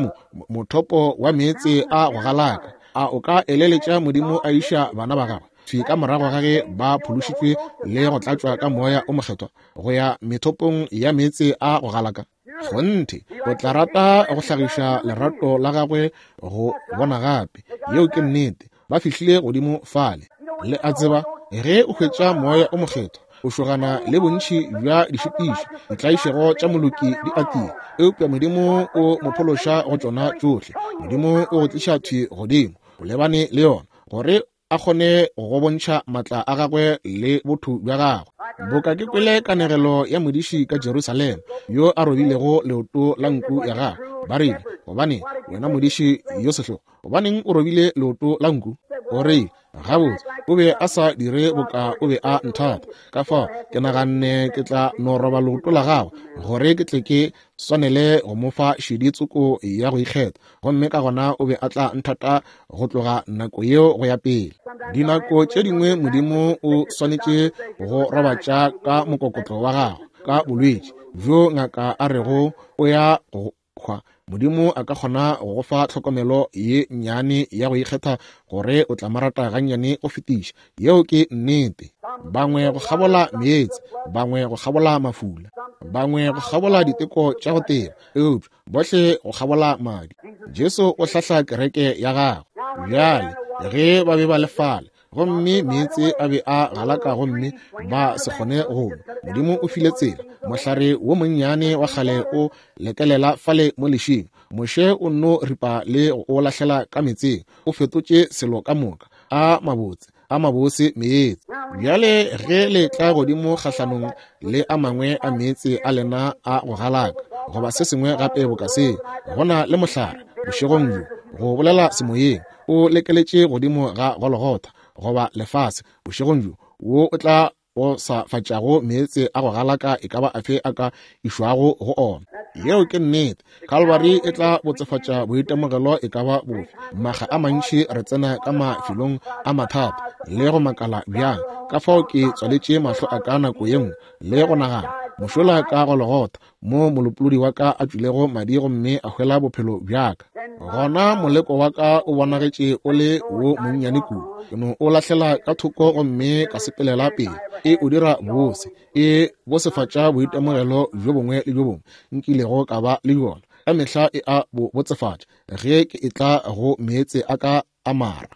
mothopo wa meetse a go galaka. A o ka eleletša Modimo a iša bana ba gagwe thwi ka morago ga ge ba phološitšwe le go tlatšwa ka Moya o Mokgethwa go ya methopong ya meetse a go galaka? Kgonthe, o tla rata go hlagiša lerato la gagwe go bona gape. Yeo ke nnete. Ba fihlile godimo fale. Le a tseba, ge o hwetša Moya o Mokgethwa, O šogana le bontši bja dišitišo. Ditlaišego tša moloki di atile, eupša Modimo o mo phološa go tšona tšohle. Modimo o go tliša thwi godimo, o lebane le yona, gore a kgone go bontšha matla a gagwe le botho bja gagwe. Boka ke kwele kanegelo ya modiši ka Jerusalema yo a robilego leoto la nku ya gagwe. Ba rile, Gobane wena modiši yo sehlogo, gobaneng o robile leoto la nku? O rile, Gabotse, o be a sa dire boka o be a nthata. Ka fao ke naganne ke tla no roba leoto la gagwe gore ke tle ke swanele go mo fa šedi tsoko ya go ikgetha, gomme ka gona o be a tla nthata go tloga nako yeo go ya pele. Dinako tše dingwe Modimo o swanetše go robatša ka mokokotlo wa gagwe ka bolwetši bjo ngaka a rego o ya go hwa. Modimo a ka kgona go go fa tlhokomelo ye nnyane ya go ikgetha gore o tla mo rata gannyane go fetiša. Yeo ke nnete. Bangwe go kgabola meetse, bangwe go kgabola mafula, bangwe go kgabola diteko tša go teba, eupša bohle go kgabola madi. Jesu o hlahla kereke ya gagwe. Bjale, ge ba be ba le fale, gomme meetse a be a galaka gomme ba se kgone go nwa, Modimo o file tsela. Mohlare wo monnyane wa kgale o lekelela fale mo lešing. Moshe o nno ripa le go o lahlela ka meetseng. O fetotše selo ka moka a mabotse, a mabose meetse. Bjale ge le tla godimo kgahlanong le a mangwe a meetse a lena a go galaka goba se sengwe gape boka seo, go na le mohlare bošegong bjo, go bolela semoyeng, o lekeletše godimo ga Golgotha goba lefase bošegong bjo, wo o tla o sa fatšago meetse a go galaka e ka ba afe a ka išwago go ona. Yeo ke nnete. Calvary e tla botsefatša boitemogelo e ka ba bofe. Makga a mantši re tsena ka mafelong a mathata le go makala bjang. Ka fao ke tswaletše mahlo a ka nako ye nngwe le go nagana, mošola ka Golgotha, mo molopolodi wa ka a tšwilego madi gomme a hwela bophelo bja ka. Gona moleko wa ka o bonagetše o le wo monnyane kudu. Ke no o lahlela ka thoko gomme ka sepelela pele. E o dira bose, e bosefatša boitemogelo bjo bongwe le bjo bongwe nkilego ka ba le bjona. Ka mehla e a bo botsefatša ge ke etla go meetse a ka a mara.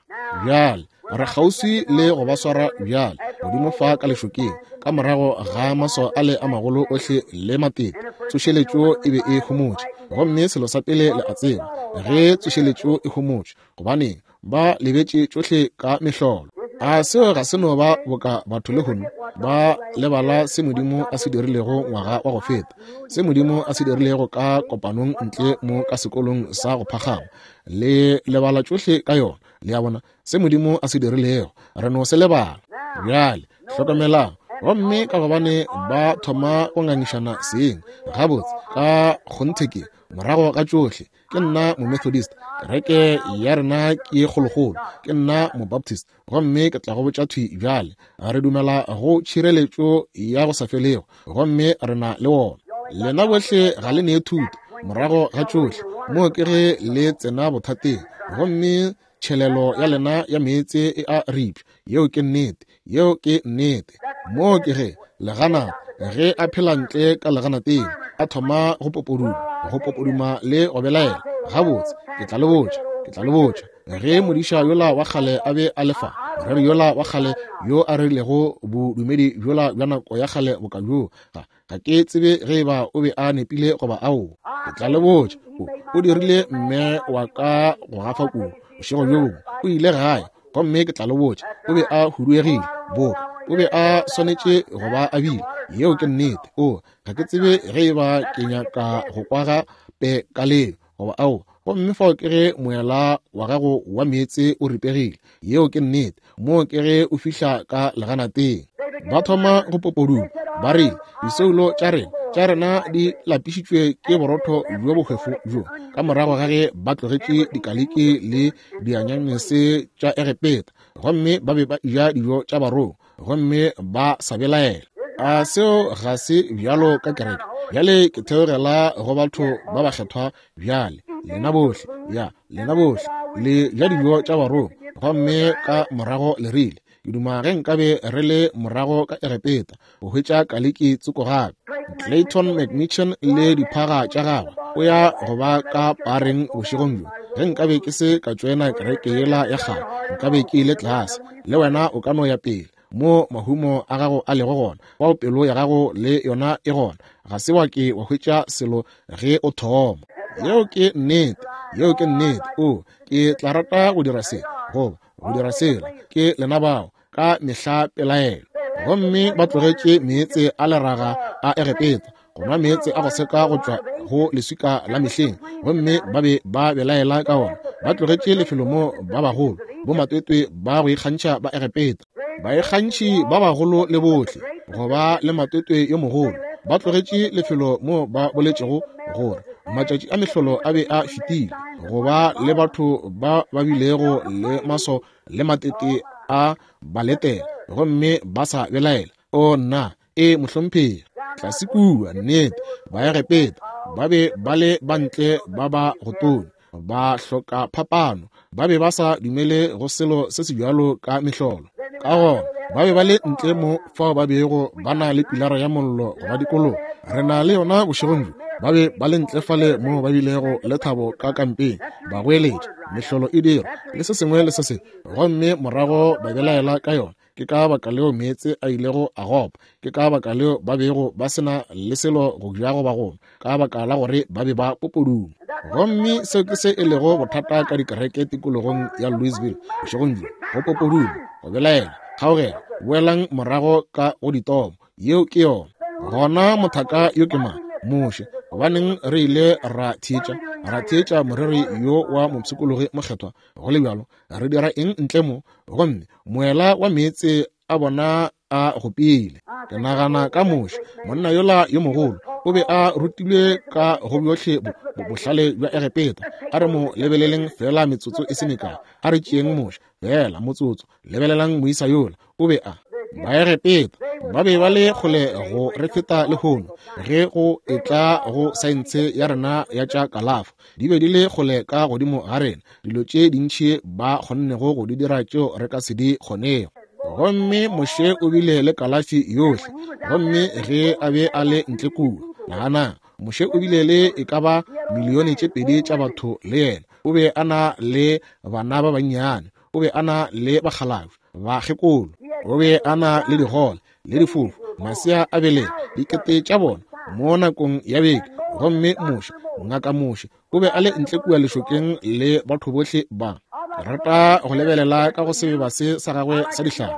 Bjale re kgauswi le go ba swara bjale, godimo fa ka lešokeng, ka morago ga maswao ale a magolo ohle le matete. Tsošeletšo e be e homotše, gomme selo sa pele le a tseba, ge tsošeletšo e homotše, gobaneng ba lebetše tšohle ka mehlolo. A seo ga se no ba boka batho lehono ba lebala se Modimo a se dirilego ngwaga wa go feta, se Modimo a se dirilego ka kopanong ntle mo ka sekolong sa go phagama. Le lebala tšohle ka yona. Le a bona se Modimo a se dirilego, re no se lebala. Bjale hlokomelang, gomme ka gobane ba thoma go ngangišana seng, gabotse ka kgonthe ke morago ga tšohle, ke nna Momethodist, kereke ya rena ke kgolokgolo, ke nna Mobaptist, gomme ke tla go botša thwi bjale, re dumela go tšhireletšo ya go sa felego, gomme re na le wona. Lena bohle ga le nee thuto, morago ga tšohle, moo ke ge le tsena bothateng, gomme tšhelelo ya lena ya meetse e a ripša. Yeo ke nnete. Yeo ke nnete. Moo ke ge legana, ge a phela ntle ka leganateng, a thoma go popoduma, go popoduma le go belaela. Gabotse, ke tla le botša, ke tla le botša, ge modiša yola wa kgale a be a le fa, moreri yola wa kgale yo a rerilego bodumedi bjola bja nako ya kgale boka bjoo, ga, ga ke tsebe ge eba o be a nepile goba aowa. Ke tla le botša, o, o dirile mme wa ka go gafa kudu. Bošego bjo bongwe o ile gae, gomme ke tla le botša, o be a huduegile boka o be a swanetše go ba a bile. Yeo ke nnete. O, ga ke tsebe ge eba ke nyaka go kwa gape ka leo goba aowa. Gomme fao ke ge moela wa gago wa meetse o ripegile. Yeo ke nnete. Moo ke ge o fihla ka leganateng. Ba thoma go popoduma, ba rile, Disoulo tša rena, tša rena di lapišitšwe ke borotho bjo bohwefo bjo, ka morago ga ge ba tlogetše dikaliki le dianyanese tša Egepeta, gomme ba be ba eja dijo tša barongwa, gomme ba sa belaela. A seo ga se bjalo ka kereke? Bjale ke theogela go batho ba bakgethwa bjale, lena bohle, ya, lena bohle, le ja dijo tša barongwa, gomme ka morago le rile, Ke duma ge nkabe re le morago ka Egepeta go hwetša kaliki tsoko gape. Clayton McMichen le diphaga tša gagwe o ya go ba ka pareng bošegong bjo. Ge nkabe ke se ka tšoena kereke yela ya kgale, nkabe ke ile tlase. Le wena o ka no ya pele. Mo mahumo a gago a lego gona, fao pelo ya gago le yona e gona. Ga se wa ke wa hwetša selo ge o thoma. Yeo ke nnete. Yeo ke nnete. O, ke tla rata go dira se, goba go dira sela. Ke lena bao, ka mehla pelaelo. Gomme ba tlogetše meetse a leraga a Egepeta, go nwa meetse a go seka go tšwa go leswika la mehleng, gomme ba be ba belaela ka ona. Ba tlogetše lefelo mo ba bagolo, bomatwetwe ba go ikgantšha ba Egepeta, baikgantšhi ba bagolo le bohle, go ba le matwetwe yo mogolo. Ba tlogetše lefelo mo ba boletšego gore matšatši a mehlolo a be a fetile, go ba le batho ba ba bilego le maso le matete a ba letela, gomme ba sa belaela. O nna, e mohlomphegi, tlase kua, nnete, Baegepeta ba be ba le bantle ba ba go tonya, ba hloka phapano, ba be ba sa dumele go selo se se bjalo ka mehlolo. Ka gona ba be ba le ntle mo fao ba bego ba na le pilara ya mollo go ba dikologa. Re na le yona bošegong bjo. Ba be ba le ntle fale mo ba bilego le thabo ka kampeng, ba goeletša, mehlolo e dirwa, le se sengwe le se sengwe, gomme morago ba belaela ka yona. Ke ka baka leo meetse a ilego a gopa. Ke ka baka leo ba bego ba se na le selo go ja goba go nwa, ka baka la gore ba be ba popoduma. Gomme seo ke se e lego bothata ka dikereke tikologong ya Louisville bošegong bjo, go popoduma, go belaela, kgaogelo. Boelang morago ka go ditomo. Yeo ke yona. Gona mothaka yo ke mang? Moshe. Gobaneng re ile ra theetša, ra theetša moreri yo wa mopshikologi mokgethwa, go le bjalo re dira eng ntle mo? Gomme moela wa meetse a bona a gopile. Ke nagana ka Moshe, monna yola yo mogolo, o be a rutilwe ka go bjohle bohlale bja Egepeta. A re mo lebeleleng feela metsotso e se mekae. A re tšeeng Moshe feela motsotso. Lebelelang moisa yola, o be a. Baegepeta ba be ba le kgole go re feta lehono ge go etla go saense ya rena ya tša kalafo. Di be di le kgole ka godimo ga rena, dilo tše dintši ba kgonnego go di dira tšeo re ka se di kgonego. Gomme Moshe o bile le kalafi yohle, gomme ge a be a le ntle kua, naganang, Moshe o bile le e ka ba milione tše pedi tša batho le yena. O be a na le bana ba bannyane, o be a na le bakgalabje, bakgekolo, o be a na le digole le difofu, masea a beleng, dikete tša bona mo nakong ya beke. Gomme Moshe, ngaka Moshe, o be a le ntle kua lešokeng le batho bohle ba. Ke rata go lebelela ka go sebeba se sa gagwe sa dihlare.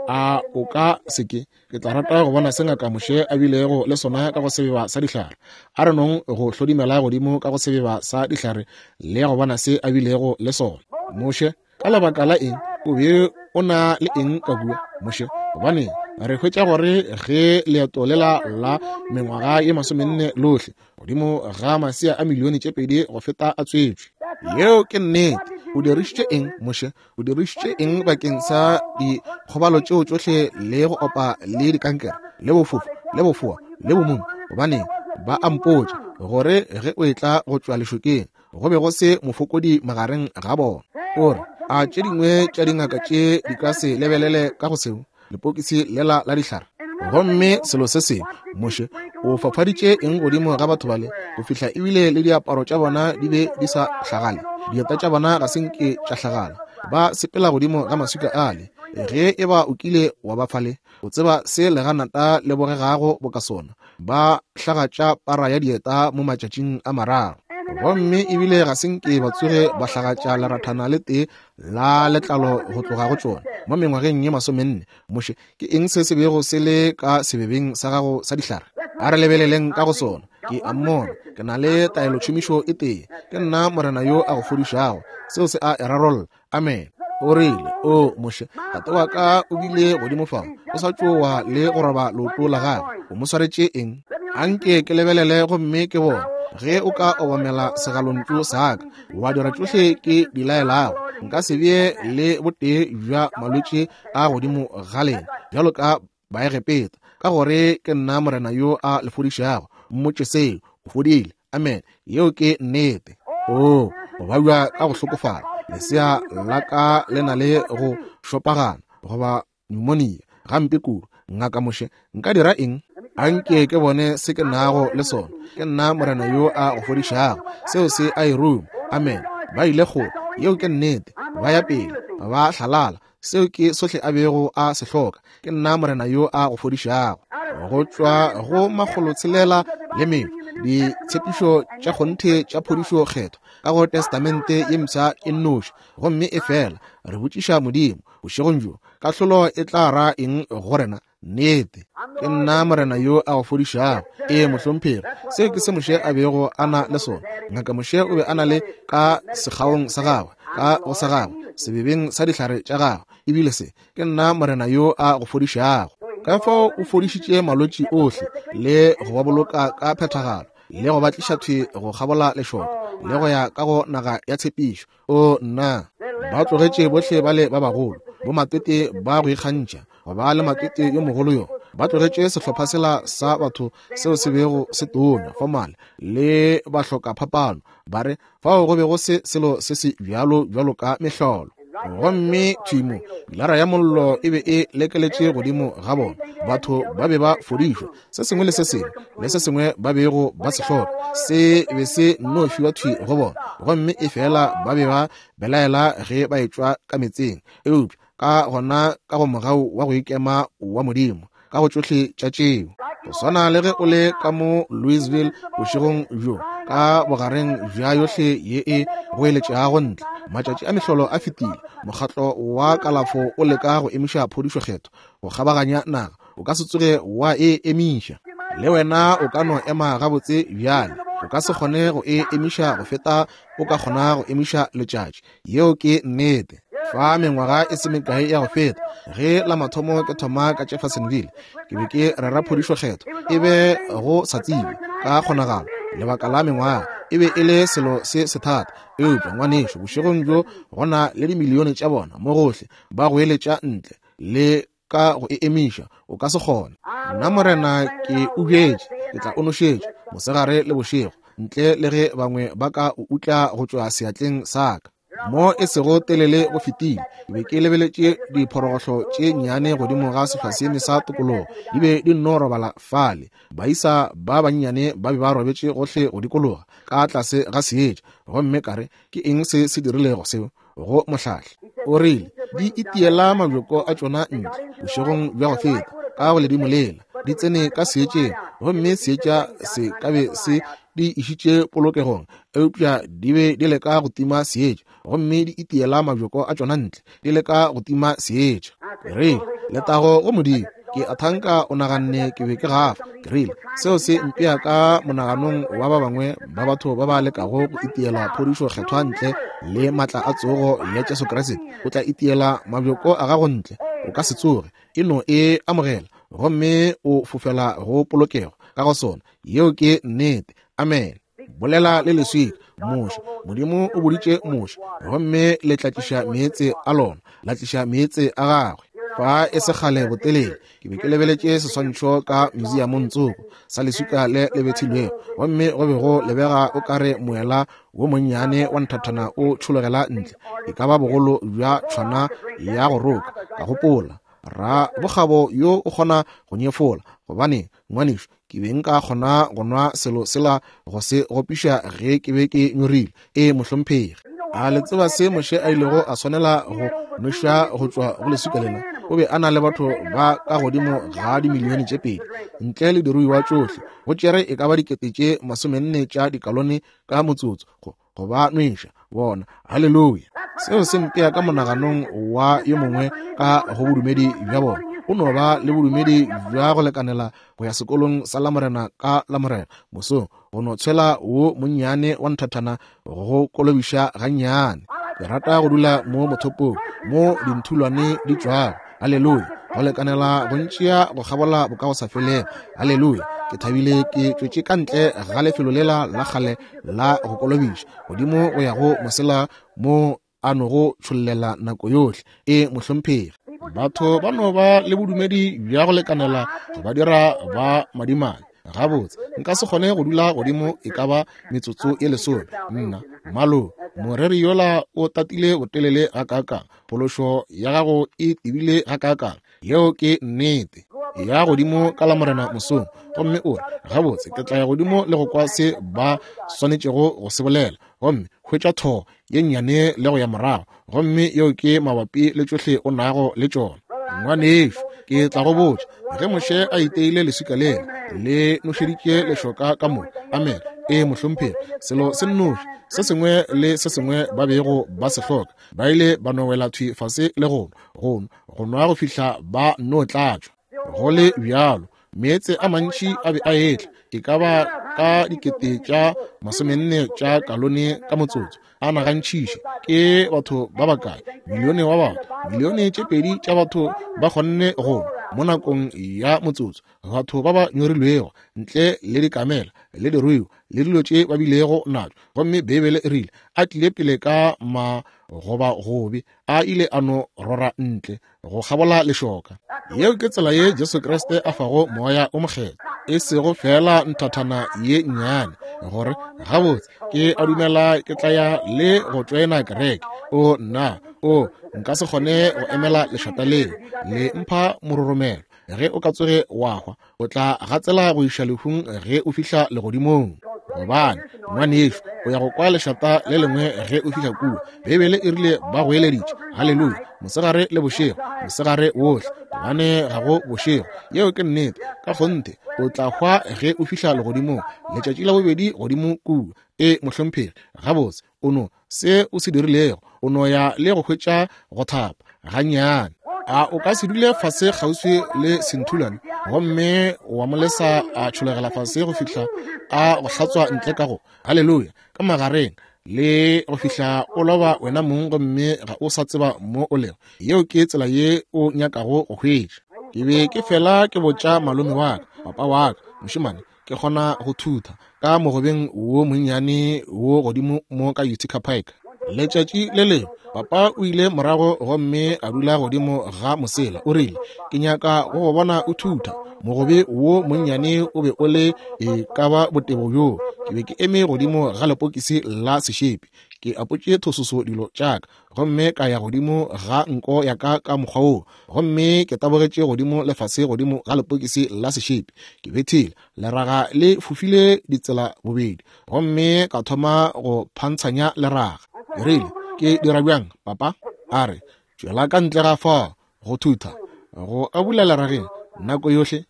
A o ka se ke? Ke tla rata go bona se ngaka Moshe a bilego le sona ka go sebeba sa dihlare. A re nong go hlodimela godimo ka go sebeba sa dihlare le go bona se a bilego le sona. Moshe, ka lebaka la eng o be o na le eng ka kua, Moshe? Gobane re hwetša gore ge leeto lela la mengwaga ye masomenne lohle godimo ga masea a milione tše pedi go feta a tswetšwe. Yeo ke nnete. O dirišitše eng, Moshe? O dirišitše eng bakeng sa dikgobalo tšeo tšohle le go opa le dikankere le bofofu le bofoa le bomumu? Gobane ba a mpotša gore ge o etla go tšwa lešokeng go be go se mofokodi magareng ga bona. O re, a tše dingwe tša dingaka tše di ka se lebelele ka go seo lepokisi lela la dihlare? Gomme selo se sengwe, Moshe o fafaditše eng godimo ga batho bale go fihla ebile le diaparo tša bona di be di sa hlagale, dieta tša bona ga se nke tša hlagala, ba sepela godimo ga maswika ale. Ge e ba o kile wa ba fale, o tseba se leganata le bogegago boka sona. Ba hlagatša para ya dieta mo matšatšing a mararo, gomme ebile ga se nke ba tsoge ba hlagatša lerathana le tee la letlalo go tloga go tšona mo mengwageng ye masomenne. Moshe, ke eng se se bego se le ka sebebeng sa gago sa dihlare? A re lebeleleng ka go sona. Ke a mmona. Ke na le taelotšhomišo e tee. Ke nna Morena yo a go fodišago. Seo se a e rarolla. Amen. O rile, O Moshe, tate wa ka o bile godimo fao, o sa tšowa le go roba leoto la gagwe. O mo swaretše eng? Anke ke lebelele gomme ke bone ge o ka obamela segalontšu sa ka, wa dira tšohle ke di laelago. Nka se bee le botee bja malwetši a godimo ga lena bjalo ka Baegepeta, ka gore ke nna Morena yo a le fodišago. Mmotše seo, o fodile. Amen. Yeo ke nnete. Oo, go babja ka go hlokofala. Lesea la ka le na le go šopagana goba pneumonia gampe kudu. Ngaka Moshe, nka dira eng? Anke ke bone se ke nago le sona. Ke nna Morena yo a go fodišago. Seo se a e ruma. Amen. Ba ile kgole. Yeo ke nnete. Ba ya pele. Ba hlalala. Seo ke sohle a bego a se hloka. Ke nna Morena yo a go fodišago. Go tšwa go 600 le metšo, ditshepišo tša kgonthe tša phodišo kgethwa ka go Testamente ye Mpsha e nnoši, gomme efela re botšiša Modimo bošegong bjo, kahlolo e tla ra eng go rena? Nnete, ke nna Morena yo a go fodišago. Ee, mohlomphegi, seo ke se Moshe a bego a na le sona. Ngaka Moshe o be a na le ka sekgaong sa gagwe, ka go sa gagwe, sebebeng sa dihlare tša gagwe, ebile se, ke nna Morena yo a go fodišago. Ka fao o fodišitše malwetši ohle le go ba boloka ka phethagalo, le go ba tliša thwi go kgabola lešoka, le go ya ka go naga ya tshepišo. O nna, ba tlogetše bohle bale ba bagolo, bomatete ba go ikgantšha, go ba le matete yo mogolo yo. Ba tlogetše sehlopha sela sa batho seo se bego se tonya, fomale, le bahloka phapano, ba re fao go be go se selo se se bjalo bjalo ka mehlolo. Gomme thwi mo, pilara ya mollo e be e lekeletše godimo ga bona. Batho ba be ba fodišwa, se sengwe le se sengwe le se sengwe ba bego ba se hloka se be se nno fiwa thwi go bona. Gomme efela ba be ba belaela ge ba etšwa ka metseng, eupša ka gona ka go mogau wa go ikema wa Modimo ka go tšohle tša tšeo. Go swana le ge o le ka mo Louisville bošegong bjo, ka bogareng bja yohle ye e goeletšago ntle, matšatši a mehlolo a fetile, mokgatlo wa kalafo o leka go emiša phodišo kgethwa go kgabaganya naga, o ka se tsoge wa e emiša. Le wena o ka no ema gabotse bjale, o ka se kgone go e emiša go feta o ka kgona go emiša letšatši. Yeo ke nnete. Fa mengwaga e se mekae ya go feta, ge la mathomo ke thoma ka Jeffersonville, ke be ke rera phodišo kgethwa, e be go sa tsebe ka kgonagalo lebaka la mengwaga e be e le selo se sethata. Eupša ngwanešu, bošegong bjo go na le dimilione tša bona mo gohle ba goeletša ntle le ka go e emiša, o ka se kgone. Nna Morena ke o bjetše, ke tla o nošetša mosegare le bošego, ntle le ge bangwe ba ka o utla go tšwa seatleng sa ka. Mo e sego telele go fetile, ke be ke lebeletše diphorogohlo tše nnyane godimo ga sehlwaseeme sa tokologo, di be di nno robala fale. Baisa ba bannyane ba be ba robetše gohle go dikologa ka tlase ga seetša, gomme ka re, Ke eng se se dirilego seo go mohlahli? O rile, Di itiela mabjoko a tšona ntle bošegong bja go feta ka go ledimo lela, di tsene ka seetšeng, gomme seetša se ka be se di išitše polokegong, eupša di be di leka go tima seetša, gomme di itiela mabjoko a tšona ntle, di leka go tima seetša. Ke rile, Letago go Modimo! Ke a thanka o naganne ke be ke gafa. Ke rile, Seo se mpea ka monaganong wa ba bangwe ba batho ba ba lekago go itiela phodišo kgethwa ntle le maatla a tsogo ya Jesu Kriste. O tla itiela mabjoko a gago ntle, o ka se tsoge. E no e amogela gomme o fofela go polokego ka go sona. Yeo ke nnete. Amene. Bolela le leswika, Moshe. Modimo o boditše Moshe, gomme le tla tliša meetse a lona, la tliša meetse a gagwe. Fa e se kgale botelele, ke be ke lebeletše seswantšho ka museumong tsoko sa leswika le le bethilwego, gomme go be go lebega o ka re moela wo monnyane wa nthathana o tšhologela ntle, e ka ba bogolo bja tšhwana ya go roka. Ka gopola, ra bokgabo yo o kgona go nyefola, gobane ngwanešu, ke be nka kgona go nwa selo sela go se gopiša ge ke be ke nyorile. Ee, mohlomphegi. A le tseba se Moshe a ilego a swanela go nwešwa go tšwa go leswika lela? O be a na le batho ba ka godimo ga dimilione tše 2, ntle le diruiwa tšohle. Go tšere e ka ba 40,000 tša dikalone ka motsotso go go ba nweša bona. Haleluya! Seo se mpea ka monaganong wa yo mongwe ka go bodumedi bja bona. O no ba le bodumedi bja go lekanela go ya sekolong sa Lamorena ka Lamorena mosong, go no tshwela wo monnyane wa nthathana go kolobiša gannyane. Ke rata go dula mo mothopong mo dinthulwane di tšwago. Haleluya! Go lekanela go ntšea go kgabola bokagosafelego. Haleluya! Ke thabile ke tšwetše ka ntle ga lefelo lela la kgale la go kolobiša, godimo go ya go mosela mo a nogo tšhollela nako yohle. E, mohlomphegi. Batho ba no ba le bodumedi bja go lekanela go ba dira ba madimabe. Gabotse, nka se kgone go dula godimo e ka ba metsotso e lesome. Nna, malo, moreri yola o tatile botelele gakaakang, phološo ya gago e tebile gakaakang. Yeo ke nnete. Ya godimo ka Lamorena mosong, gomme o re, Gabotse, ke tla ya godimo le go kwa se ba swanetšego go se bolela. gomme hwetša thoo ye nnyane le go ya morago, gomme yeo ke mabapi le tšohle o nago le tšona. Ngwanešu, ke tla go botša, ge Moshe a iteile leswika lela, le nošeditše lešoka ka moka. Amen. Ee, mohlomphegi. Selo se nnoši, se sengwe le se sengwe ba bego ba se hloka, ba ile ba no wela thwi fase le go nwa, go nwa, go nwa go fihla ba no tlatšwa. Go le bjalo, meetse a mantši a be a etla, e ka ba ka dikete tša masomenne tša kalone ka motsotso. A nagantšhiše, ke batho ba bakae? Milione wa batho, milione tše pedi tša batho ba kgonne go nwa mo nakong ya motsotso. Batho ba ba nyorilwego, ntle le dikamela le diruiwa le dilo tše ba bilego natšo. Gomme Beibele e rile, a tlile pele ka magobagobe, a ile a no rora ntle go kgabola lešoka. Yeo ke tsela ye Jesu Kriste a fago Moya o Mokgethwa, e sego feela nthathana ye nnyane, gore gabotse ke a dumela ke tla ya le go tšoena kereke. O nna, o nka se kgone go emela lešata leo, le mpha mororomelo. Ge o ka tsoge wa hwa, o tla gatsela go iša lehung ge o fihla legodimong. Gobane, ngwanešu, o ya go kwa lešata le lengwe ge o fihla kua. Beibele e rile ba goeleditše, haleluya, mosegare le bošego, mosegare wohle, gobane ga go bošego. Yeo ke nnete. Ka kgonthe, o tla hwa ge o fihla legodimong, letšatši la bobedi godimo kua. Ee, mohlomphegi. Gabotse, o no se o se dirilego, o no ya le go hwetša go thapa gannyane. A o ka se dule fase kgauswi le senthulwane gomme wa mo lesa a tšhologela fase go fihla a go hlatswa ntle ka go haleluya ka magareng le go fihla o loba wena mong gomme ga o sa tseba mo o lego? Yeo ke tsela ye o nyakago go hwetša. Ke be ke fela ke botša malome wa ka, papa wa ka, mošemane, ke kgona go thutha ka mogobeng wo monnyane wo godimo mo ka Utica Pike. Letšatši le lengwe papa o ile morago gomme a dula godimo ga mosela, o rile, ke nyaka go go bona o thutha. Mogobe wo monnyane o be o le e ka ba botebo bjoo. Ke be ke eme godimo ga lepokisi la sešepi, ke apotše thososo dilo tša ka, gomme ka ya godimo ga nko ya ka ka mokgwa woo, gomme ke tabogetše godimo le fase godimo ga lepokisi la sešepi. Ke bethile leraga le fofile ditsela bobedi, gomme ka thoma go phantshanya leraga. Ke rile, Ke dira bjang, papa? A re, Tšwela ka ntle ga fao, go thutha, go abula lerageng nako yohle.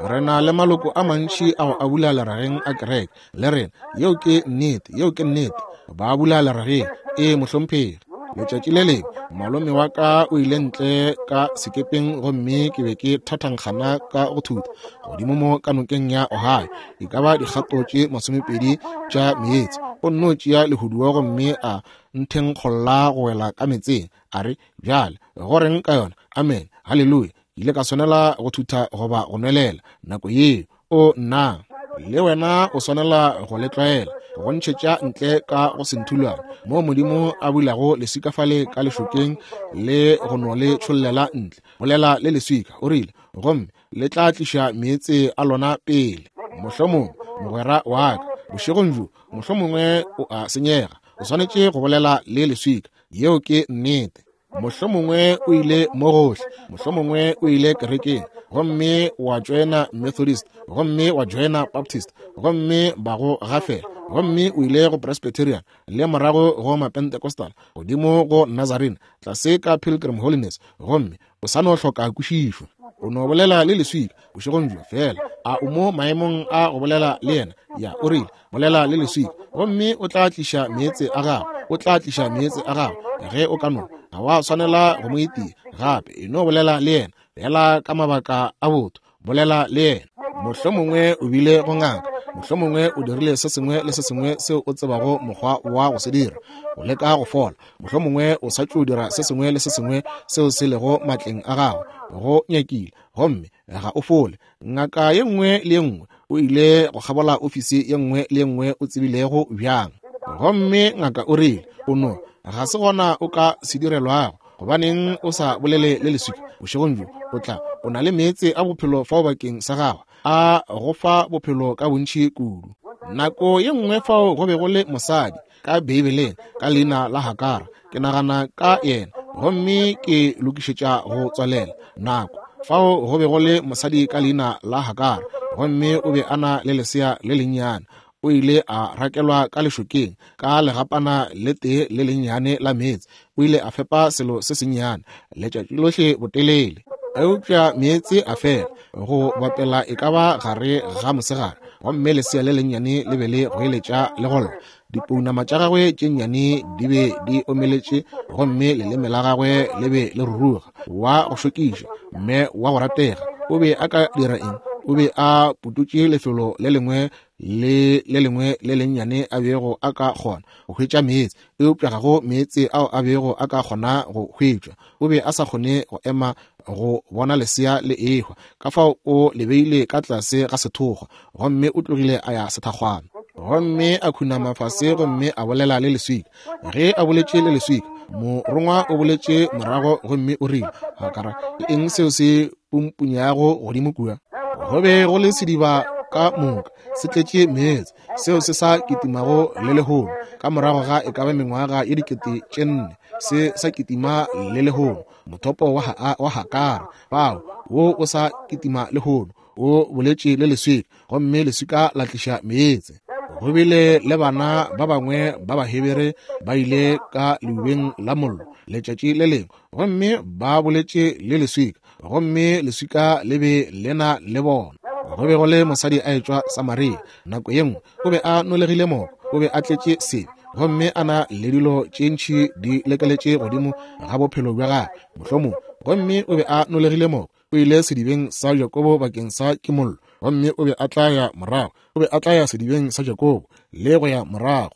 Re na le maloko a mantši a go abula lerageng a kereke le rena. Yeo ke nnete, yeo ke nnete. Ba abula lerageng. Ee, mohlomphegi. Letšatši le lengwe malome wa ka o ile ntle ka sekepeng gomme ke be ke thathankgana ka go thutha godimo mo ka nokeng ya Ohio, e ka ba dikgato tše masomepedi tša meetse. O nno tšea lehuduwa gomme a nthenkgolla go wela ka meetseng. A re, Bjale, go reng ka yona? Amen. Haleluya. Ke ile ka swanela go thutha goba go nwelela nako yeo. O nna, le wena o swanela go le tlwaela, go ntšhetša ntle ka go senthulwane moo Modimo a bulago leswika fale ka lešokeng le go no le tšhollela ntle. Bolela le leswika, o rile, gomme le tla tliša meetse a lona pele. Mohlomongwe, mogwera wa ka, bošegong bjo, mohlomongwe o a senyega. O swanetše go bolela le leswika. Yeo ke nnete. Mohlomongwe o ile mo gohle, mohlomongwe o ile kerekeng gomme wa joina Methodist, gomme wa joina Baptist, gomme ba go gafela, gomme o ile go Presbyterian, le morago go Mapentecostal, godimo go Nazarene, tlase ka Pilgrim Holiness, gomme o sa no hloka kwešišo. O no bolela le leswika bošegong bjo feela. A o mo maemong a go bolela le yena? Ya, o rile, bolela le leswika gomme o tla tliša meetse a gago. O tla tliša meetse a gago ge o ka no. Ga wa swanela go mo itia gape. E no bolela le yena fela ka mabaka a botho. Bolela le yena. Mohlomongwe o bile go ngaka, mohlomongwe o dirile se sengwe le se sengwe seo o tsebago mokgwa wa go se dira, go leka go fola. Mohlomongwe o sa tšo dira se sengwe le se sengwe seo se lego matleng a gago, go nyakile, gomme ga o fole. Ngaka ye nngwe le ye nngwe o ile go kgabola ofisi ye nngwe le ye nngwe o tsebilego bjang, gomme ngaka o rile, O no, ga se gona o ka se direlwago. Gobaneng o sa bolele le leswika bošegong bjo? O tla, o na le meetse a bophelo fao bakeng sa gago, a go fa bophelo ka bontši kudu. Nako ye nngwe fao go be go le mosadi ka Beibeleng ka leina la Hagara. Ke nagana ka yena gomme ke lokišetša go tswalela nako. Fao go be go le mosadi ka leina la Hagara, gomme o be a na le lesea le lennyane. O ile a rakelwa ka lešokeng ka legapana le tee le lennyane la meetse. O ile a fepa selo se sennyane letšatši lohle botelele. Eupša meetse a fela go bapela e ka ba gare ga mosegare, gomme lesea le lennyane le be le goeletša le go lla. Dipounama tša gagwe tše nnyane di be di omeletše gomme leleme la gagwe le be le ruruga. Wa go šokiša, mme wa go ratega, o be a ka dira eng? O be a pututše lefelo le lengwe le le lengwe le lennyane a bego a ka kgona go hwetša meetse, eupša ga go meetse ao a bego a ka kgona go hwetšwa. O be a sa kgone go ema go bona lesea le ehwa, ka fao o le beile ka tlase ga sethokgwa gomme o tlogile a ya sethakgwana. Gomme a khunama fase gomme a bolela le leswika. Ge a boletše le leswika, morongwa o boletše morago gomme o rile, Hakara, ke eng seo se pumpunyago godimo kua? Go be go le sediba ka moka se tletše meetse, seo se sa kitimago le lehono, ka morago ga e ka ba mengwaga ye 4000, se sa kitima le lehono. Mothopo wa Hakara fao, wo o sa kitima lehono, o boletše le leswika, gomme leswika la tliša meetse. Go bile le bana ba bangwe ba Bahebere ba ile ka leubeng la mollo letšatši le lengwe, gomme ba boletše le leswika, gomme leswika le be le na le bona. Go be go le mosadi a etšwa Samaria nako ye nngwe, o be a nolegile moko, o be a tletše sebe, gomme a na le dilo tše ntši di lekeletše godimo ga bophelo bja gagwe mohlomong, gomme o be a nolegile moko. O ile sedibeng sa Jakobo bakeng sa kimollo, gomme o be a tla ya morago, o be a tla ya sedibeng sa Jakobo le go ya morago.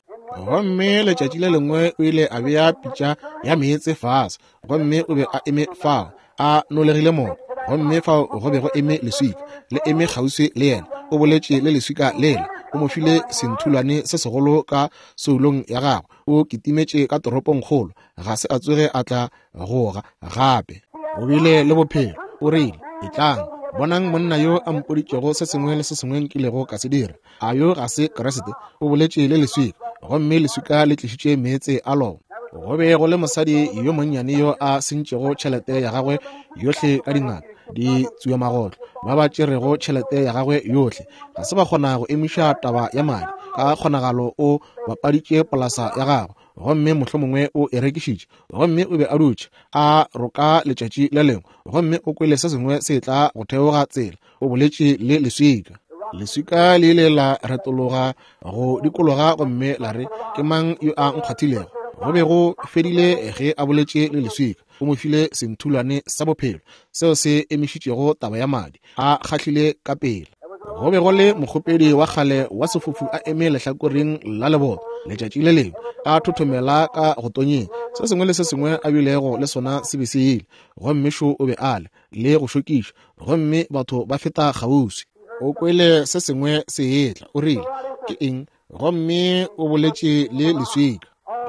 Gomme letšatši le lengwe o ile a bea pitša ya meetse fase, gomme o be a eme fao a nolegile moko, gomme fao go be go eme leswika le eme kgauswi le yena. O boletše le leswika lela, o mo file senthulwane se segolo ka soulong ya gagwe. O kitimetše ka toropongkgolo, ga se a tsoge a tla goga gape. O bile le bophelo. O rile, Etlang, bonang monna yo a mpoditšego se sengwe le se sengwe nkilego ka se dira. A yo ga se Kriste? O boletše le leswika, gomme leswika le tlišitše meetse a lona. Go be go le mosadi yo monnyane yo a sentšego tšhelete ya gagwe yohle ka dingaka, ditsuamagotlo, ba ba tšerego tšhelete ya gagwe yohle. Ga se ba kgona go emiša taba ya madi. Ka kgonagalo o bapaditše polasa ya gagwe, gomme mohlomongwe o e rekišitše. Gomme o be a dutše a roka letšatši le lengwe, gomme o kwele se sengwe se etla go theoga tsela. O boletše le leswika. Leswika le ile la retologa go dikologa gomme la re, Ke mang yo a nkgwathilego? Go be go fedile ge a boletše le leswika. O mo file senthulwane sa bophelo seo se emišitšego taba ya madi. A kgahlile ka pela. Go be go le mokgopedi wa kgale wa sefofu a eme lehlakoreng la leboto letšatši le lengwe, a thothomela ka go tonyeng. Se sengwe le se sengwe a bilego le sona se be se ile, gomme šo o be a le, le go šokiša, gomme batho ba feta kgauswi. O kwele se sengwe se etla, o rile, Ke eng? Gomme o boletše le leswika.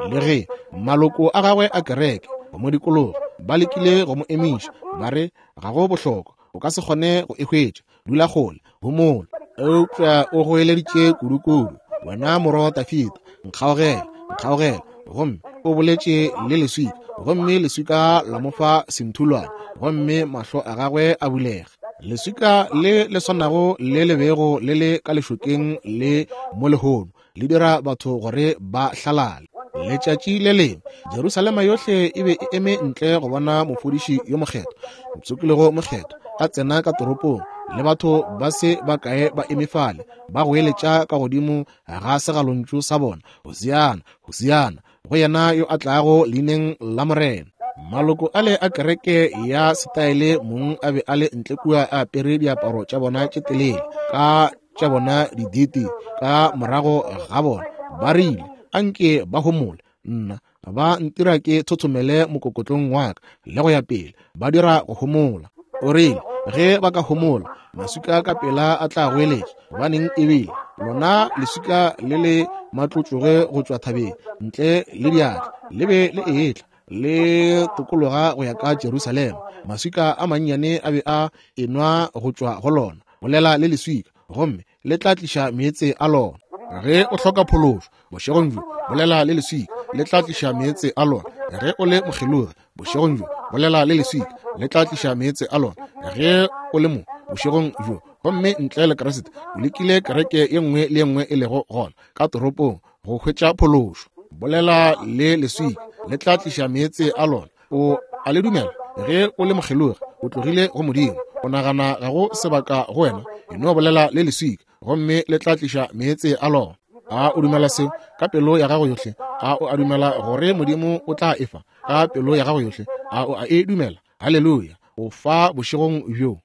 Le ge maloko a gagwe a kereke go mo dikologa ba lekile go mo emiša, ba re, Ga go bohlokwa, o ka se kgone go e hwetša, dula kgole, homola. Eupša o goeleditše kudukudu, Wena morwa wa Dafida, nkgaogele, nkgaogele. Gomme o boletše le leswika, gomme leswika la mo fa senthulwane, gomme mahlo a gagwe a bulega. Leswika le le swanago le le bego le le ka lešokeng le mo lehono le dira batho gore ba hlalale. Letšatši le lengwe Jerusalema yohle e be e eme ntle go bona mofodiši yo mokgethwa, mosokilego mokgethwa, a tsena ka toropong, le batho ba se ba kae ba eme fale ba goeletša ka godimo ga segalontšu sa bona, Hosiana, Hosiana, go yena yo a tlago leineng la Morena. Maloko ale a kereke ya setaele mong a be a le ntle kua a apere diaparo tša bona tše telele, ka tša bona diditi ka morago ga bona, ba rile, Anke ba homole, nna ba ntira ke thothomele mokokotlong wa ka, le go ya pele, ba dira go homola. O rile, Ge ba ka homola, maswika ka pela a tla goeletša. Gobaneng e bile lona leswika le le matlotloge go tšwa thabeng ntle le diatla, le be le etla le tokologa go ya ka Jerusalema. Maswika a mannyane a be a enwa go tšwa go lona. Bolela le leswika, gomme le tla tliša meetse a lona. Ge o hloka phološo bošegong bjo, bolela le leswika, le tla tliša meetse a lona. Ge o le mokgelogi bošegong bjo, bolela le leswika, le tla tliša meetse a lona. Ge o le mo bošegong bjo, Gomme ntle le Kriste, o lekile kereke ye nngwe le ye nngwe e lego gona ka toropong go hwetša phološo. Bolela le leswika, le tla tliša meetse a lona. O a le dumela? Ge o le mokgelogi, o tlogile go Modimo, o nagana ga go sebaka go wena, e no bolela le leswika, gomme le tla tliša meetse a lona. A o dumela seo ka pelo ya gago yohle? A o a dumela gore Modimo o tla e fa ka pelo ya gago yohle? A o a e dumela? Haleluya! O fa bošegong bjo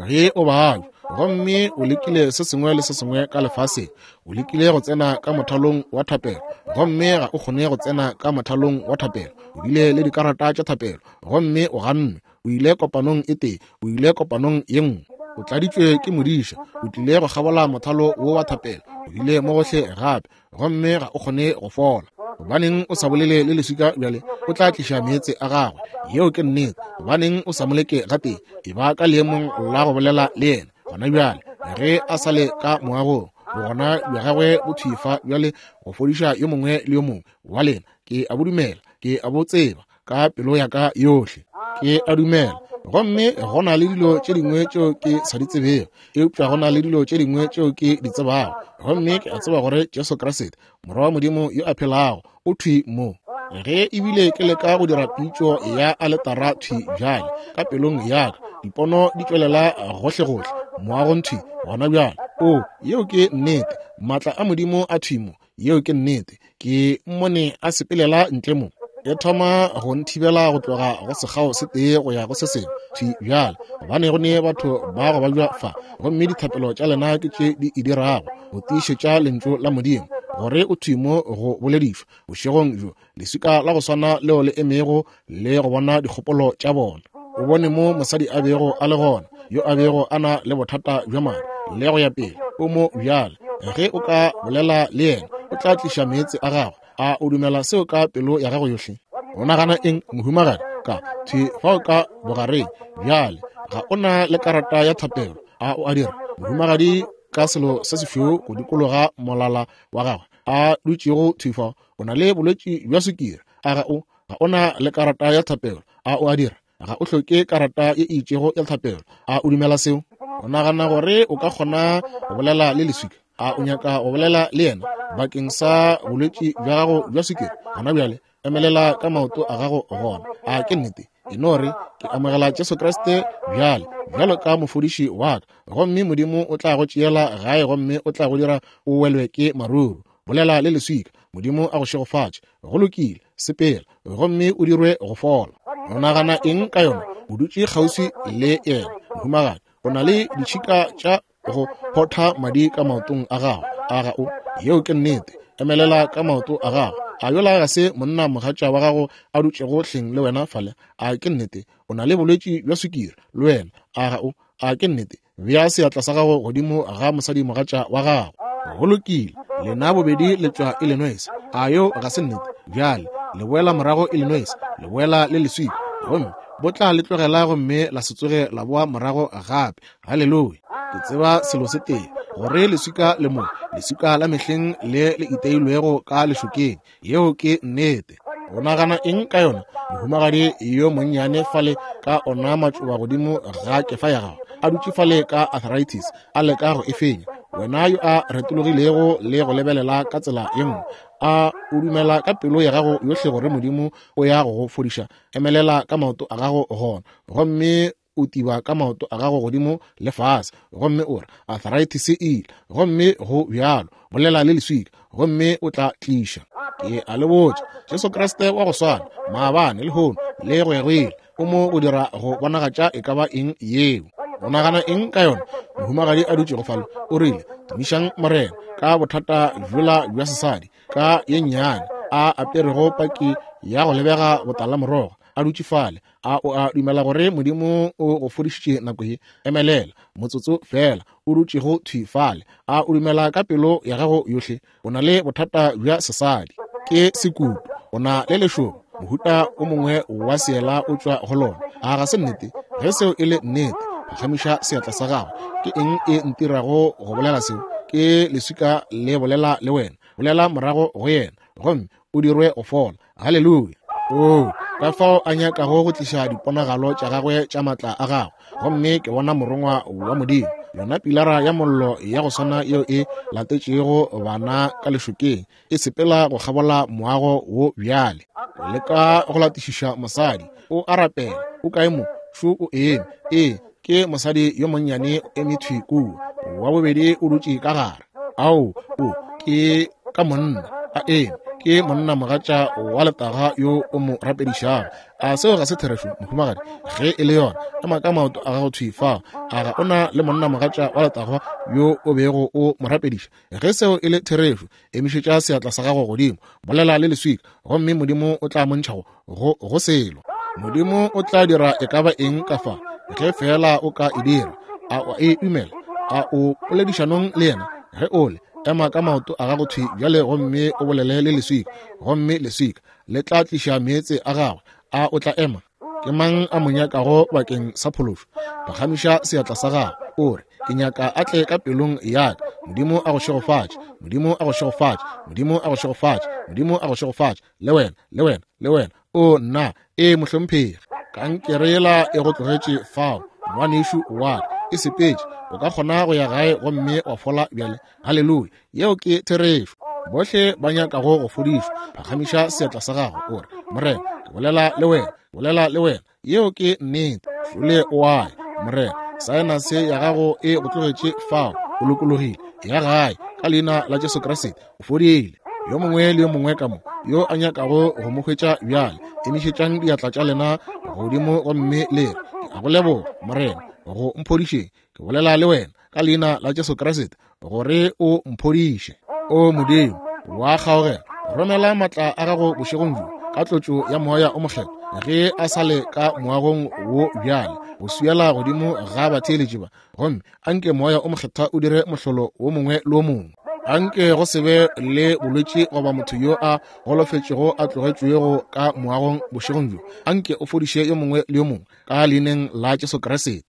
ge o babja, gomme o lekile se sengwe le se sengwe ka lefaseng. O lekile go tsena ka mothalong wa thapelo, gomme ga o kgone go tsena ka mothalong wa thapelo. O bile le dikarata tša thapelo, gomme o gannwe. O ile kopanong e tee, o ile kopanong ye nngwe. O tladitšwe ke modiša, o tlile go kgabola mothalo wo wa thapelo. O bile mo gohle gape, gomme ga o kgone go fola. Gobaneng o sa bolele le leswika bjale? O tla tliša meetse a gagwe. Yeo ke nnete. Gobaneng o sa mo leke gatee? E ba ka leemong la go bolela le yena gona bjale, ge a sa le ka moagong. Bogona bja gagwe bo thwi fa bjale go fodiša yo mongwe le yo mongwe wa lena. Ke a bo dumela, ke a bo tseba ka pelo ya ka yohle. Ke a dumela. Gomme go na le dilo tše dingwe tšeo ke sa di tsebego, eupša go na le dilo tše dingwe tšeo ke di tsebago. Gomme ke a tseba gore Jesu Kriste, Morwa wa Modimo yo a phelago, o thwi mo. Ge ebile ke leka go dira pitšo ya aletara thwi bjale, ka pelong ya ka, dipono di tšwelela gohlegohle moagong thwi gona bjale. O, yeo ke nnete. Maatla a Modimo a thwi mo. Yeo ke nnete. Ke mmone a sepelela ntle mo. E thoma go nthibela go tloga go sekgao se tee go ya go se sengwe thwi bjale, gobane go ne batho ba go babja fa, gomme dithapelo tša lena ke tše di e dirago go tiišetša lentšu la Modimo gore o thwi mo go boledišwa bošegong bjo, leswika la go swana leo le emego le go bona dikgopolo tša bona. O bone mo mosadi a bego a le gona, yo a bego a na le bothata bja madi le go ya pele. O mo bjale. Ge o ka bolela le yena, o tla tliša meetse a gagwe. A o dumela seo ka pelo ya gago yohle? O nagana eng, mohumagadi? Ka thwi fao ka bogareng bjale. Ga o na le karata ya thapelo, a o a dira, mohumagadi? Ka selo se sešweu go dikologa molala wa gagwe, a dutšego thwi fao, o na le bolwetši bja sukiri. A ga o? Ga o na le karata ya thapelo, a o a dira? Ga o hloke karata ye e itšego ya thapelo. A o dumela seo? O nagana gore o ka kgona go bolela le leswika? A o nyaka go bolela le yena bakeng sa bolwetši bja gago bja sukiri? Gona bjale emelela ka maoto a gago gona. A ke nnete? E no re, ke amogela Jesu Kriste bjale bjalo ka mofodiši wa ka, gomme Modimo o tla go tšeela gae gomme o tla go dira o welwe ke maruru. Bolela le leswika. Modimo a go šegofatše. Go lokile, sepela gomme o dirwe go fola. O nagana eng ka yona? O dutše kgauswi le yena, mohumagadi. O na le ditšhika tša go photha madi ka maotong a gago. A ga o? Yeo ke nnete. Emelela ka maoto a gago. A yola ga se monna mogatša wa gago a dutšego hleng le wena fale? A ke nnete? O na le bolwetši bja sukiri le wena. A ga o? A ke nnete? Bea seatla sa gago godimo ga mosadimogatša wa gago. Go lokile, lena bobedi le tšwa Illinois. A yo ga se nnete? Bjale le boela morago Illinois, le boela le leswika, gomme bo tla le tlogela gomme la se tsoge la boa morago gape. Haleluya! Ke tseba selo se tee, gore leswika le mo, leswika la mehleng le le iteilwego ka lešokeng. Yeo ke nnete. O nagana eng ka yona, mohumagadi yo monnyane fale ka ona matšoba godimo ga kefa ya gago, a dutše fale ka arthritis, a leka go e fenya? Wena yo a retologilego le go lebelela ka tsela ye nngwe, a o dumela ka pelo ya gago yohle gore Modimo o ya go go fodiša? Emelela ka maoto a gago gona, gomme o tiba ka maoto a gago godimo le fase, gomme o re, Arthritis e ile, gomme go bjalo. Bolela le leswika, gomme o tla tliša. Ke a le botša, Jesu Kriste wa go swana maabane, lehono, le go ya go ile, o mo go dira go bonagatša e ka ba eng yeo. O nagana eng ka yona? Mohumagadi a dutšego fale, o rile, Tumišang Morena, ka bothata bjola bja sesadi, ka ye nnyane, a aperego paki ya go lebega botalamorogo, a dutše fale. A o a dumela gore Modimo o go fodišitše nako ye? Emelela motsotso feela, o dutšego thwi fale. A o dumela ka pelo ya gago yohle? O na le bothata bja sesadi, ke sekutu. O na le lešoba, mohuta o mongwe wa seela o tšwa go lona. A ga se nnete? Ge seo e le nnete, phagamiša seatla sa gago. Ke eng e ntirago go bolela seo? Ke leswika le bolela le wena. Bolela morago go yena, gomme o dirwe go fola. Haleluya! Oo, ka fao a nyakago go tliša diponagalo tša gagwe tša maatla a gagwe. Gomme ke bona morongwa wa Modimo. Yona Pilara ya Mollo ya go swana yeo e latetšego bana ka lešokeng, e sepela go kgabola moago wo bjale. Leka go latišiša mosadi. O a rapela. O kae mo? Šo o eme. Ee, ke mosadi yo monnyane o eme thwi kua. Wa bobedi o dutše ka gare. Ao, o, ke ka monna a eme. Ke monna mogatša wa letaga yo o mo rapedišago. A seo ga se therešo, mohumagadi? Ge e le yona, ema ka maoto a gago thwi fao. A ga o na le monna mogatša wa letagwa yo o bego o mo rapediša? Ge seo e le therešo, emišetša seatla sa gago godimo, bolela le leswika, gomme Modimo o tla montšha go, go, go selo. Modimo o tla dira e ka ba eng ka fa, ge feela o ka e dira. A o e dumela? A o poledišanong le yena? Ge o le, ema ka maoto a gago thwi bjale gomme o bolele le leswika, gomme leswika le tla tliša meetse a gagwe. A o tla ema? Ke mang a mo nyakago bakeng sa phološo? Phagamiša seatla sa gago, o re, Ke nyaka a tle ka pelong ya ka. Modimo a go šegofatše. Modimo a go šegofatše. Modimo a go šegofatše. Modimo a go šegofatše. Le wena, le wena, le wena. O nna, ee mohlomphegi. Kankere yela e go tlogetše fao, ngwanešu wa ka. E sepetše. O ka kgona go ya gae gomme wa fola bjale. Haleluya! Yeo ke therešo. Bohle ba nyakago go fodišwa, phagamiša seatla sa gago, o re, Morena, ke bolela le wena, bolela le wena. Yeo ke nnete. Šole o a ya. Morena, saenase ya gago e go tlogetše fao, o lokologile. Ya gae, ka Leina la Jesu Kriste, o fodile. Yo mongwe le yo mongwe ka mo, yo a nyakago go mo hwetša bjale, emišetšang diatla tša lena godimo gomme le re, Ke a go leboga, Morena, go mphodišeng. Ke bolela le wena ka leina la Jesu Kriste gore o mphodiše. O Modimo wa kgaogelo, romela matla a gago bošegong bjo ka tlotšo ya Moya o Mokgethwa ge a sa le ka moagong wo bjale go swiela godimo ga batheeletši ba, gomme anke Moya o Mokgethwa o dire mohlolo wo mongwe le wo mongwe. Anke go se be le bolwetši goba motho yo a golofetšego a tlogetšwego ka moagong bošegong bjo. Anke o fodiše yo mongwe le yo mongwe ka leineng la Jesu Kriste.